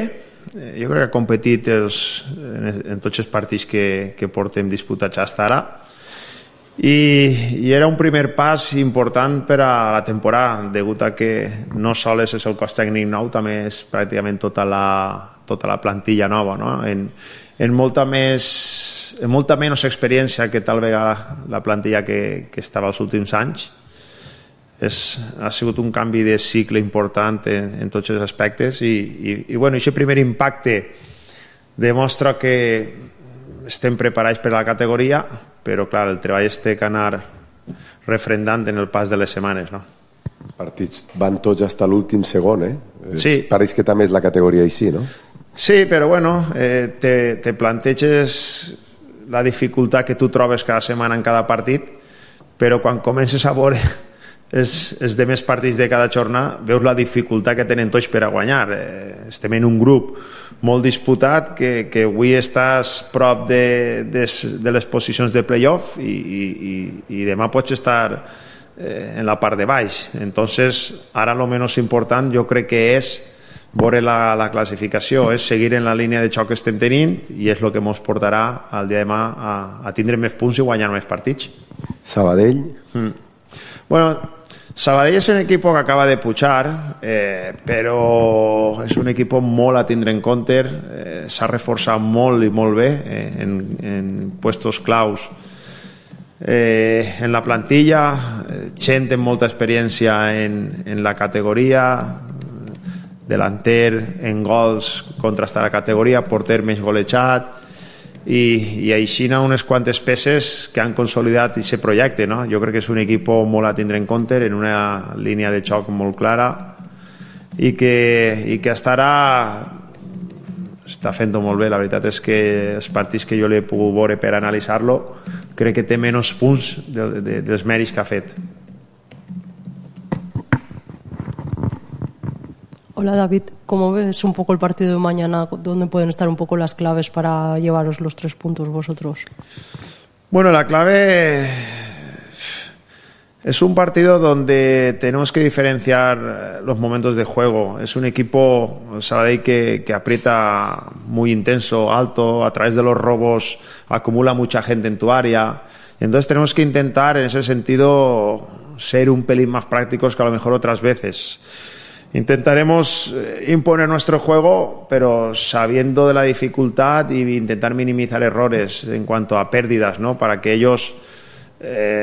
Jo crec que ha competit en tots els partits que portem disputats fins ara. I era un primer pas important per a la temporada, degut a que no sols és el cos tècnic nou, també és pràcticament tota la plantilla nova, no? En molta menys experiència que tal vegada la plantilla que estava els últims anys. Ha sigut un canvi de cicle important en tots els aspectes i bueno, aquest primer impacte demostra que estem preparats per la categoria, però clar, el treball es té que anar refrendant en el pas de les setmanes, no? Els partits van tots fins a l'últim segon, Sí. Pareix que també és la categoria així, no? Sí, però bueno, te planteges la dificultat que tu trobes cada setmana en cada partit, però quan comences a veure els demés partits de cada jornada, veus la dificultat que tenen tots per a guanyar. Estem en un grup molt disputat, que avui estàs prop de les posicions de playoff i demà pots estar en la part de baix. Entonces, ara lo menos important jo crec que és veure la classificació, és seguir en la línia de xoc que estem tenint i és el que ens portarà el dia de demà a tindre més punts i guanyar més partits. Sabadell? Bueno, Sabadell és un equip que acaba de pujar, però és un equip molt a tindre en compte, s'ha reforçat molt i molt bé en puestos claus en la plantilla, gent amb molta experiència en la categoria, delanter en gols contrastar la categoria, porter més golejat i així unes quantes peces que han consolidat aquest projecte, no? Jo crec que és un equip molt a tindre en compte, en una línia de xoc molt clara i que està fent-ho molt bé. La veritat és que els partits que jo l'he pogut veure per analitzar-lo, crec que té menys punts dels mèrits que ha fet. Hola David, ¿cómo ves un poco el partido de mañana? ¿Dónde pueden estar un poco las claves para llevaros los 3 puntos vosotros? Bueno, la clave es un partido donde tenemos que diferenciar los momentos de juego. Es un equipo, Sabadell, que aprieta muy intenso, alto, a través de los robos acumula mucha gente en tu área. Entonces tenemos que intentar en ese sentido ser un pelín más prácticos que a lo mejor otras veces. Intentaremos imponer nuestro juego, pero sabiendo de la dificultad y intentar minimizar errores en cuanto a pérdidas, ¿no? Para que ellos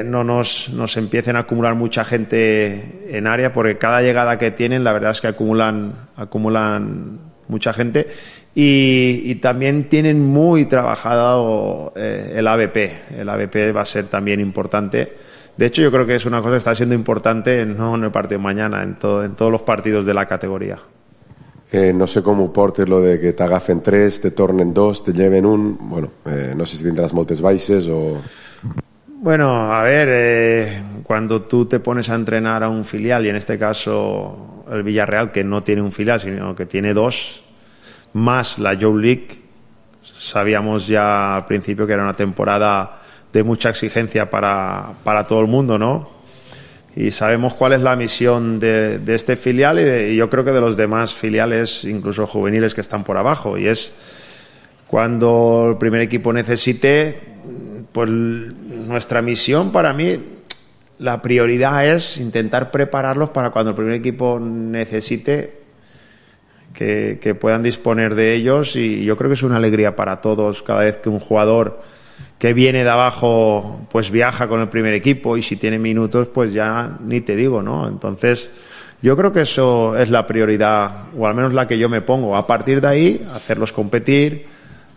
no nos empiecen a acumular mucha gente en área, porque cada llegada que tienen, la verdad es que acumulan mucha gente y también tienen muy trabajado el AVP. El AVP va a ser también importante. De hecho, yo creo que es una cosa que está siendo importante no en el partido de mañana, en todos los partidos de la categoría. No sé com ho portes, lo de que t'agafen 3, te tornen 2, te lleven 1. Bueno, no sé si tindràs moltes baixes o... Bueno, a ver, cuando tú te pones a entrenar a un filial, y en este caso el Villarreal, que no tiene un filial, sino que tiene 2, más la Youth League, sabíamos ya al principio que era una temporada de mucha exigencia para todo el mundo, ¿no? Y sabemos cuál es la misión de este filial y yo creo que de los demás filiales, incluso juveniles que están por abajo, y es cuando el primer equipo necesite, pues nuestra misión, para mí, la prioridad es intentar prepararlos para cuando el primer equipo necesite que puedan disponer de ellos, y yo creo que es una alegría para todos cada vez que un jugador que viene de abajo pues viaja con el primer equipo, y si tiene minutos pues ya ni te digo, ¿no? Entonces yo creo que eso es la prioridad, o al menos la que yo me pongo. A partir de ahí, hacerlos competir,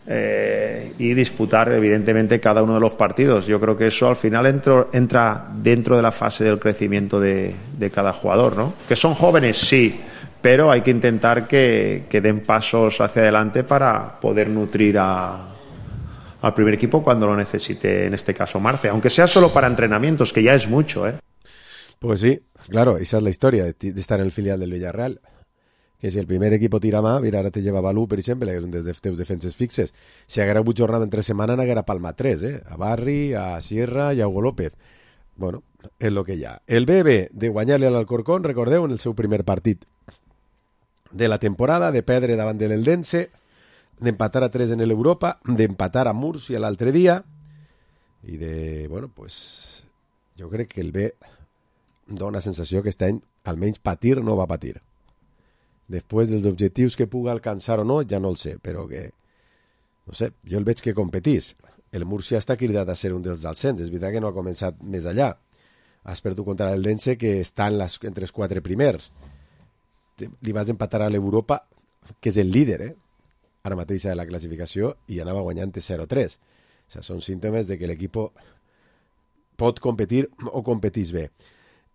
y disputar evidentemente cada uno de los partidos. Yo creo que eso al final entra dentro de la fase del crecimiento de cada jugador, ¿no? Que son jóvenes, sí, pero hay que intentar que den pasos hacia adelante para poder nutrir al primer equipo cuando lo necesite, en este caso Marce, aunque sea solo para entrenamientos, que ya es mucho, ¿eh? Pues sí, claro, esa es la historia de estar en el filial del Villarreal. Que si el primer equipo tira mà, mira, ara te lleva Balú, per exemple, que és un dels teus defenses fixes. Si haguera hagut jornada entre setmana, n'haguera palma 3, a Barri, a Sierra i a Hugo López. Bueno, és el que hi ha. El BB de guanyar-li a l'Alcorcón, recordeu, en el seu primer partit de la temporada, de perdre davant de l'Eldense, d'empatar a 3 en l'Europa, d'empatar a Múrcia l'altre dia, i de, bueno, pues, jo crec que el B dona sensació que aquest any, almenys patir, no va patir. Després dels objectius que puga alcançar o no, ja no el sé, però que, no sé, jo el veig que competís. El Múrcia està cridat a ser un dels descens, és veritat que no ha començat més allà. Has perdut contra l'Eldense, que està entre els 4 primers. Li vas empatar a l'Europa, que és el líder, ara mateix de la classificació, i anava guanyant 0-3. O sigui, són símptomes de que l'equip pot competir o competís bé.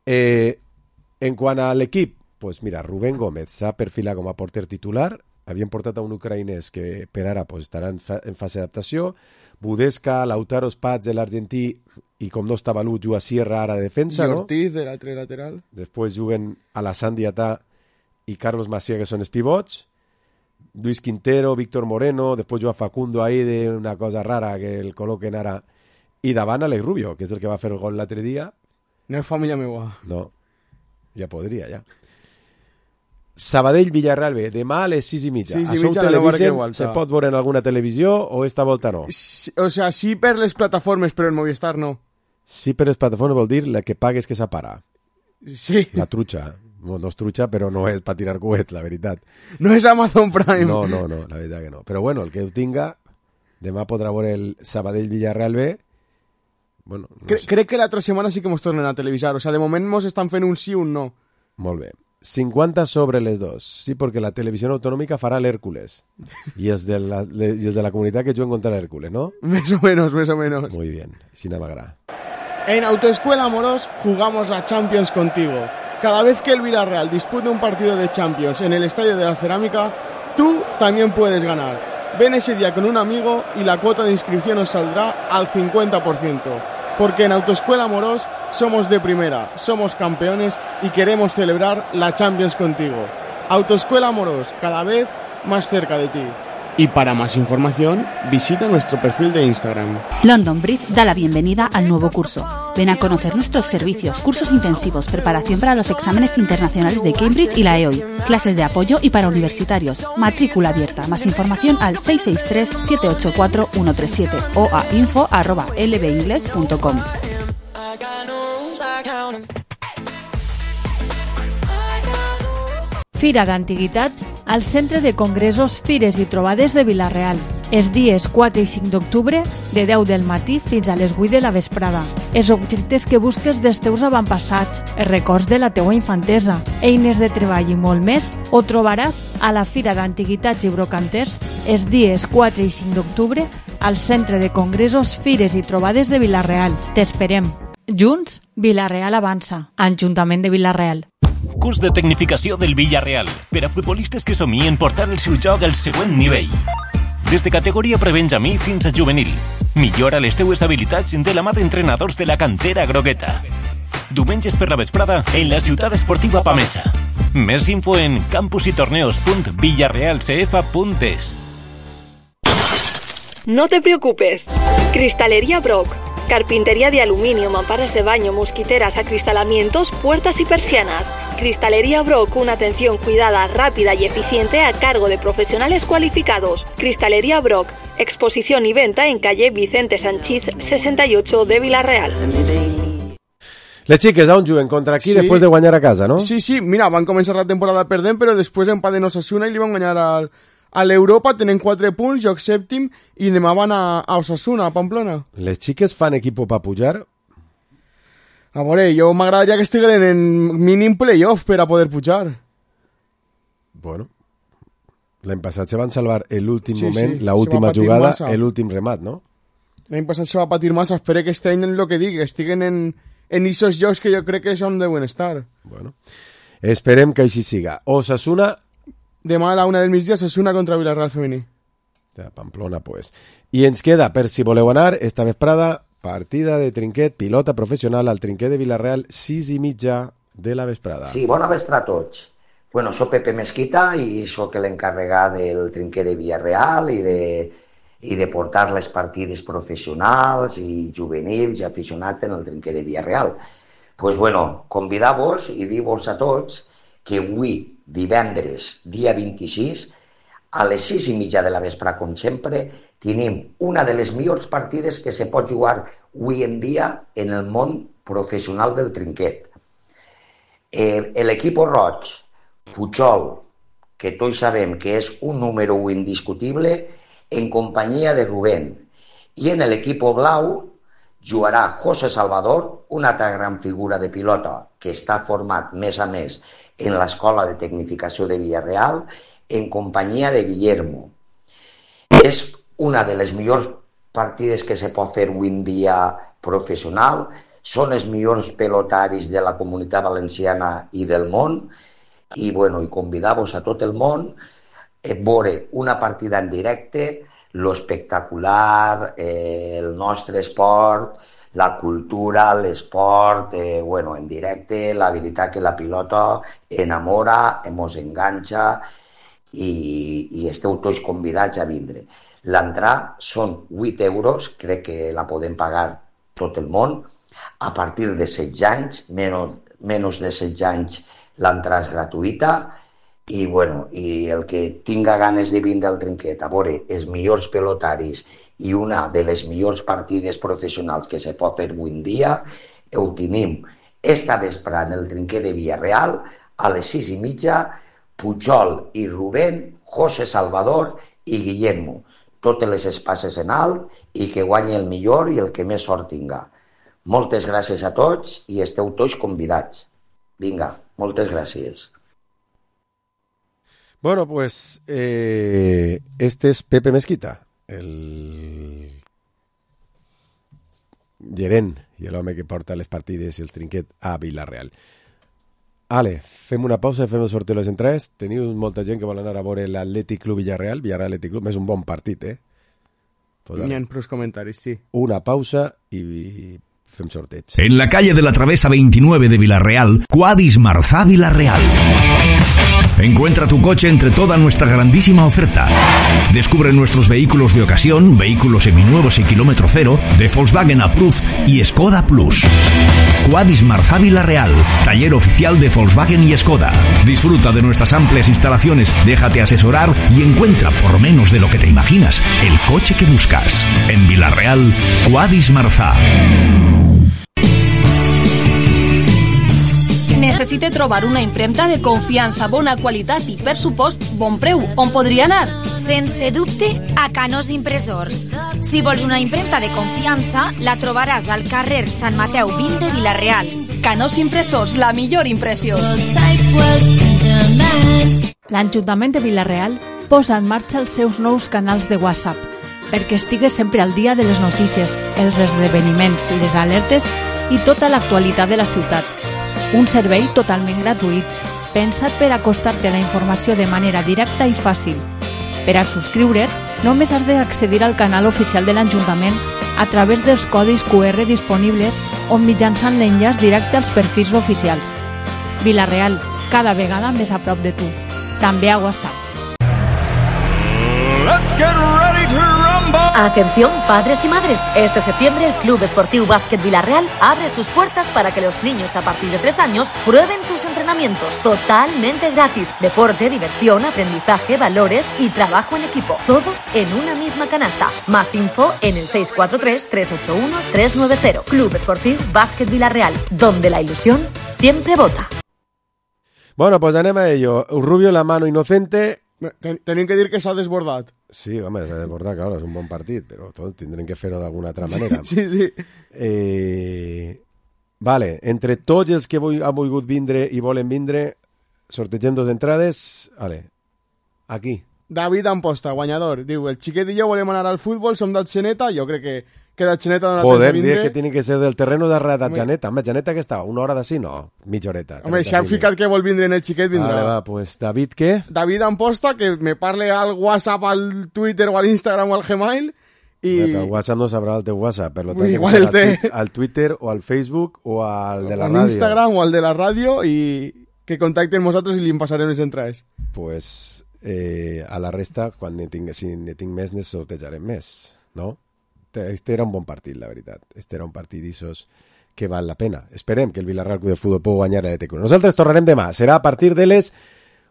En quant a l'equip, pues mira, Rubén Gómez s'ha perfilat com a porter titular, havien portat a un ucraïnès que per ara pues, estarà en fase d'adaptació, Budesca, Lautaro Spats de l'argentí, i com no està Balú, juga Sierra ara de defensa, I no? Ortiz de l'altre lateral. Després juguen Alassane Diatà i Carlos Macià, que són els pivots, Luis Quintero, Víctor Moreno, després juga Facundo ahí d'una cosa rara que el col·loquen ara, i davant Alex Rubio, que és el que va fer el gol l'altre dia. No és família meua. No, ja podria, ja. Sabadell-Villarreal B, demà a les 6:30. Sí, mitja la nova Requegualta. Se pot veure en alguna televisió o esta volta no? O sea, sí per les plataformes, però en Movistar no. Sí per les plataformes vol dir la que pagues que s'apara. Sí. La trucha. No és trucha, però no és per tirar coets, la veritat. No és Amazon Prime. No, la veritat que no. Però bueno, el que ho tinga, demà podrà veure el Sabadell-Villarreal B. Bueno, no sé. Crec que l'altra setmana sí que mos tornen a televisar. O sea, de moment mos estan fent un sí o un no. Molt bé. 50 sobre les dos. Sí, porque la televisión autonómica fará el Hércules. Y es de la comunidad que juguen contra el Hércules, ¿no? Más o menos. Muy bien. Sin amagra. En Autoescuela Amorós jugamos a Champions contigo. Cada vez que el Villarreal dispute un partido de Champions en el Estadio de la Cerámica, tú también puedes ganar. Ven ese día con un amigo y la cuota de inscripción os saldrá al 50%. Porque en Autoescuela Amorós somos de primera, somos campeones y queremos celebrar la Champions contigo. Autoescuela Amorós, cada vez más cerca de ti. Y para más información, visita nuestro perfil de Instagram. London Bridge da la bienvenida al nuevo curso. Ven a conocer nuestros servicios, cursos intensivos, preparación para los exámenes internacionales de Cambridge y la EOI, clases de apoyo y para universitarios, matrícula abierta. Más información al 663-784-137 o a info@lbingles.com. Fira d'Antiguitats al Centre de Congressos, Fires i Trobades de Vila-real. Els dies 4 i 5 d'octubre, de 10 del matí fins a les 8 de la vesprada. Els objectes que busques dels teus avantpassats, els records de la teua infantesa, eines de treball i molt més, ho trobaràs a la Fira d'Antiguitats i Brocanters els dies 4 i 5 d'octubre al Centre de Congressos, Fires i Trobades de Vila-real. T'esperem. Junts, Vila-real avança. Ajuntament de Vila-real. Curs de tecnificació del Villarreal per a futbolistes que somien portar el seu joc al següent nivell. Des de categoria prebenjamí fins a juvenil. Millora les teues habilitats de la mà d'entrenadors de la cantera grogueta. Diumenges per la vesprada en la ciutat esportiva Pamesa. Més info en campusytorneos.villarrealcf.es. No te preocupes. Cristalería Brock. Carpintería de aluminio, mamparas de baño, mosquiteras, acristalamientos, puertas y persianas. Cristalería Brock, una atención cuidada, rápida y eficiente a cargo de profesionales cualificados. Cristalería Brock, exposición y venta en calle Vicente Sanchís 68 de Vila-real. Les xiques on juguen contra aquí després de guanyar a casa, no? Sí, mira, van començar la temporada perdent, però després empaten Osasuna i li van guanyar a l'Europa, tenen 4 punts, lloc sèptim, i demà van a Osasuna, a Pamplona. Les xiques fan equipo per pujar? A veure, jo m'agradaria que estiguin en mínim playoff per a poder pujar. Bueno, L'any passat se van salvar l'últim moment, sí, l'última jugada, massa. l'últim remat, no? L'any passat se va patir massa, espero que este any en lo que dic, estiguen en esos jocs que jo crec que és on deuen estar. Bueno, esperem que així siga. Osasuna... Demà a la 1 del migdia, Osasuna contra Villarreal femení. De Pamplona, pues. I ens queda, per si voleu anar, esta vesprada, partida de trinquet, pilota professional al trinquet de Villarreal, 6:30 de la vesprada. Sí, bona vesprada a tots. Bueno, soc Pepe Mesquita i sóc l'encarregat del trinquet de Villarreal i de portar les partides professionals i juvenils i aficionats en el trinquet de Villarreal. Pues bueno, convidar-vos i dir-vos a tots que avui, divendres, dia 26, a les 6:30 de la vespre, com sempre, tenim una de les millors partides que se pot jugar avui en dia en el món professional del trinquet. L'equip roig, Puigol, que tots sabem que és un número 1 indiscutible, en companyia de Rubén. I en l'equip blau jugarà José Salvador, una altra gran figura de pilota que està format més a més en l'Escola de Tecnificació de Villarreal, en companyia de Guillermo. És una de les millors partides que se pot fer avui en dia professional, són els millors pelotaris de la Comunitat Valenciana i del món, i convidar-vos a tot el món a veure una partida en directe, lo espectacular, el nostre esport, la cultura, l'esport, en directe, la veritat que la pilota enamora, mos enganxa i esteu tots convidats a vindre. L'entrada són 8 euros, crec que la podem pagar tot el món, a partir de 16 anys, menys de 16 anys l'entrada és gratuïta, i el que tinga ganes de vindre al trinquet a veure els millors pelotaris i una de les millors partides professionals que se pot fer avui en dia, ho tenim esta vespre en el trinquet de Villarreal a les 6:30, Pujol i Rubén, José Salvador i Guillermo. Totes les espases en alt i que guanyi el millor i el que més sort tinga. Moltes gràcies a tots i esteu tots convidats. Vinga, moltes gràcies. Bueno, pues este es Pepe Mesquita, el gerent i l'home que porta les partides i el trinquet a Villarreal. Ale, fem una pausa i fem el sorteo de les entrades. Teniu molta gent que vol anar a veure l'Atlètic Club Villarreal Atlètic Club, és un bon partit, Pues N'hi ha prou comentaris, sí. Una pausa i fem sorteig. En la calle de la Travesa 29 de Villarreal, Quadis Marzá Villarreal. Encuentra tu coche entre toda nuestra grandísima oferta. Descubre nuestros vehículos de ocasión, vehículos seminuevos y kilómetro cero, de Volkswagen Approved y Skoda Plus. Quadis Marzá Villarreal, taller oficial de Volkswagen y Skoda. Disfruta de nuestras amplias instalaciones, déjate asesorar y encuentra por menos de lo que te imaginas el coche que buscas. En Villarreal, Quadis Marzá. Necessite trobar una impremta de confiança, bona qualitat i, per supost, bon preu. On podria anar? Sense dubte, a Canós Impressors. Si vols una impremta de confiança, la trobaràs al carrer Sant Mateu 20 de Vilareal. Canós Impressors, la millor impressió. L'Ajuntament de Vilareal posa en marxa els seus nous canals de WhatsApp perquè estigues sempre al dia de les notícies, els esdeveniments, les alertes i tota l'actualitat de la ciutat. Un servei totalment gratuït, pensat per acostar-te a la informació de manera directa i fàcil. Per a subscriure't, només has d'accedir al canal oficial de l'Ajuntament a través dels codis QR disponibles o mitjançant l'enllaç directe als perfils oficials. Vilareal, cada vegada més a prop de tu. També a WhatsApp. Let's get ready to rumble. Atención padres y madres, este septiembre el Club Esportiu Básquet Villarreal abre sus puertas para que los niños a partir de 3 años prueben sus entrenamientos totalmente gratis. Deporte, diversión, aprendizaje, valores y trabajo en equipo. Todo en una misma canasta. Más info en el 643-381-390. Club Esportiu Básquet Villarreal, donde la ilusión siempre vota. Bueno, pues anem a ello. Rubio, la mano inocente. Tenim que dir que s'ha desbordat. Sí, home, s'ha desbordat, claro, és un bon partit, però tot tindrem que fer-ho d'alguna altra manera. Sí. Vale, entre tots els que han volgut vindre i volen vindre, sortegem 2 entrades. Vale, aquí, David Amposta, guanyador. Diu, el xiquet i jo volem anar al futbol, som d'Atxeneta, jo crec que d'Atxeneta dona temps Joder, de vindre. dic que tiene que ser del terreno de d'Atxeneta. Home, Atxeneta que estava? Una hora d'ací? No, mitja horeta. Home, si han ficat que vol vindre en el xiquet, vindrà. Vale, va, pues David, què? David Amposta, que me parle al WhatsApp, al Twitter o al Instagram o al Gmail. I... Però el WhatsApp no sabrà el teu WhatsApp, per tant, igual el té al Twitter o al Facebook o al de la al ràdio. Instagram o al de la ràdio i que contacten amb nosaltres i li passarem les entrades. Pues a la resta, si ne tinc més, ne sortejarem més, no? Este era un bon partit, la veritat. Este era un partit d'issos que val la pena. Esperem que el Villarreal Club de Futbol pugui guanyar a l'Atlètic Club. Nosaltres tornarem demà. Serà a partir de les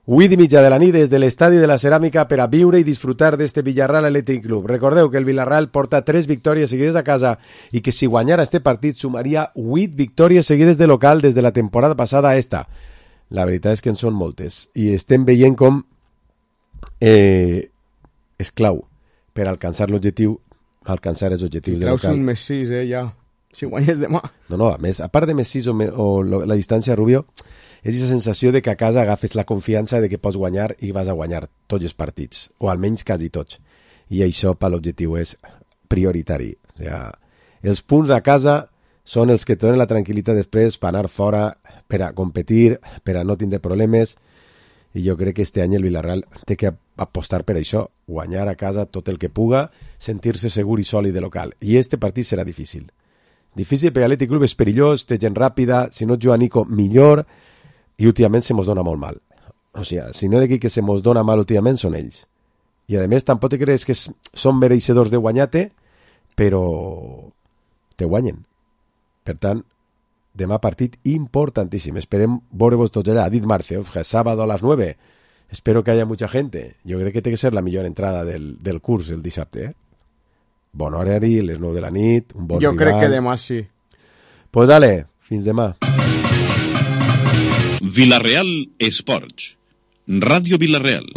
8:30 de la nit des de l'Estadi de la Ceràmica per a viure i disfrutar d'este Villarreal Athletic Club. Recordeu que el Villarreal porta 3 victòries seguides a casa i que si guanyara este partit sumaria 8 victòries seguides de local des de la temporada passada a esta. La veritat és que en són moltes i estem veient com és clau per alcançar l'objectiu, alcançar els objectius de local. Claus un més 6, ja. Si guanyes demà. No, a més, a part de més 6 o la distància, Rubio, és aquesta sensació de que a casa agafes la confiança de que pots guanyar i vas a guanyar tots els partits, o almenys quasi tots. I això per l'objectiu és prioritari. O sigui, els punts a casa són els que et donen la tranquil·litat després per anar fora, per a competir, per a no tindre problemes, i jo crec que este any el Villarreal té que apostar per això, guanyar a casa tot el que puga, sentir-se segur i sòlid de local. I este partit serà difícil. Difícil perquè l'Atlètic Club és perillós, té gent ràpida, si no juga Nico, millor, i últimament se mos dona molt mal. O sigui, si no hi ha l'equip que se mos dona mal últimament són ells. I a més, tampoc te creus que són mereixedors de guanyar-te, però te guanyen. Per tant, demà partit importantíssim. Esperem veure-vos tots allà. Ha dit Marce, sábado a las 9. Espero que haya mucha gente. Jo crec que té que ser la millor entrada del curs el dissabte. Bon horari, les 9 de la nit, un bon jo rival. Crec que demà sí. Pues dale, fins demà. Villarreal Esports. Ràdio Villarreal.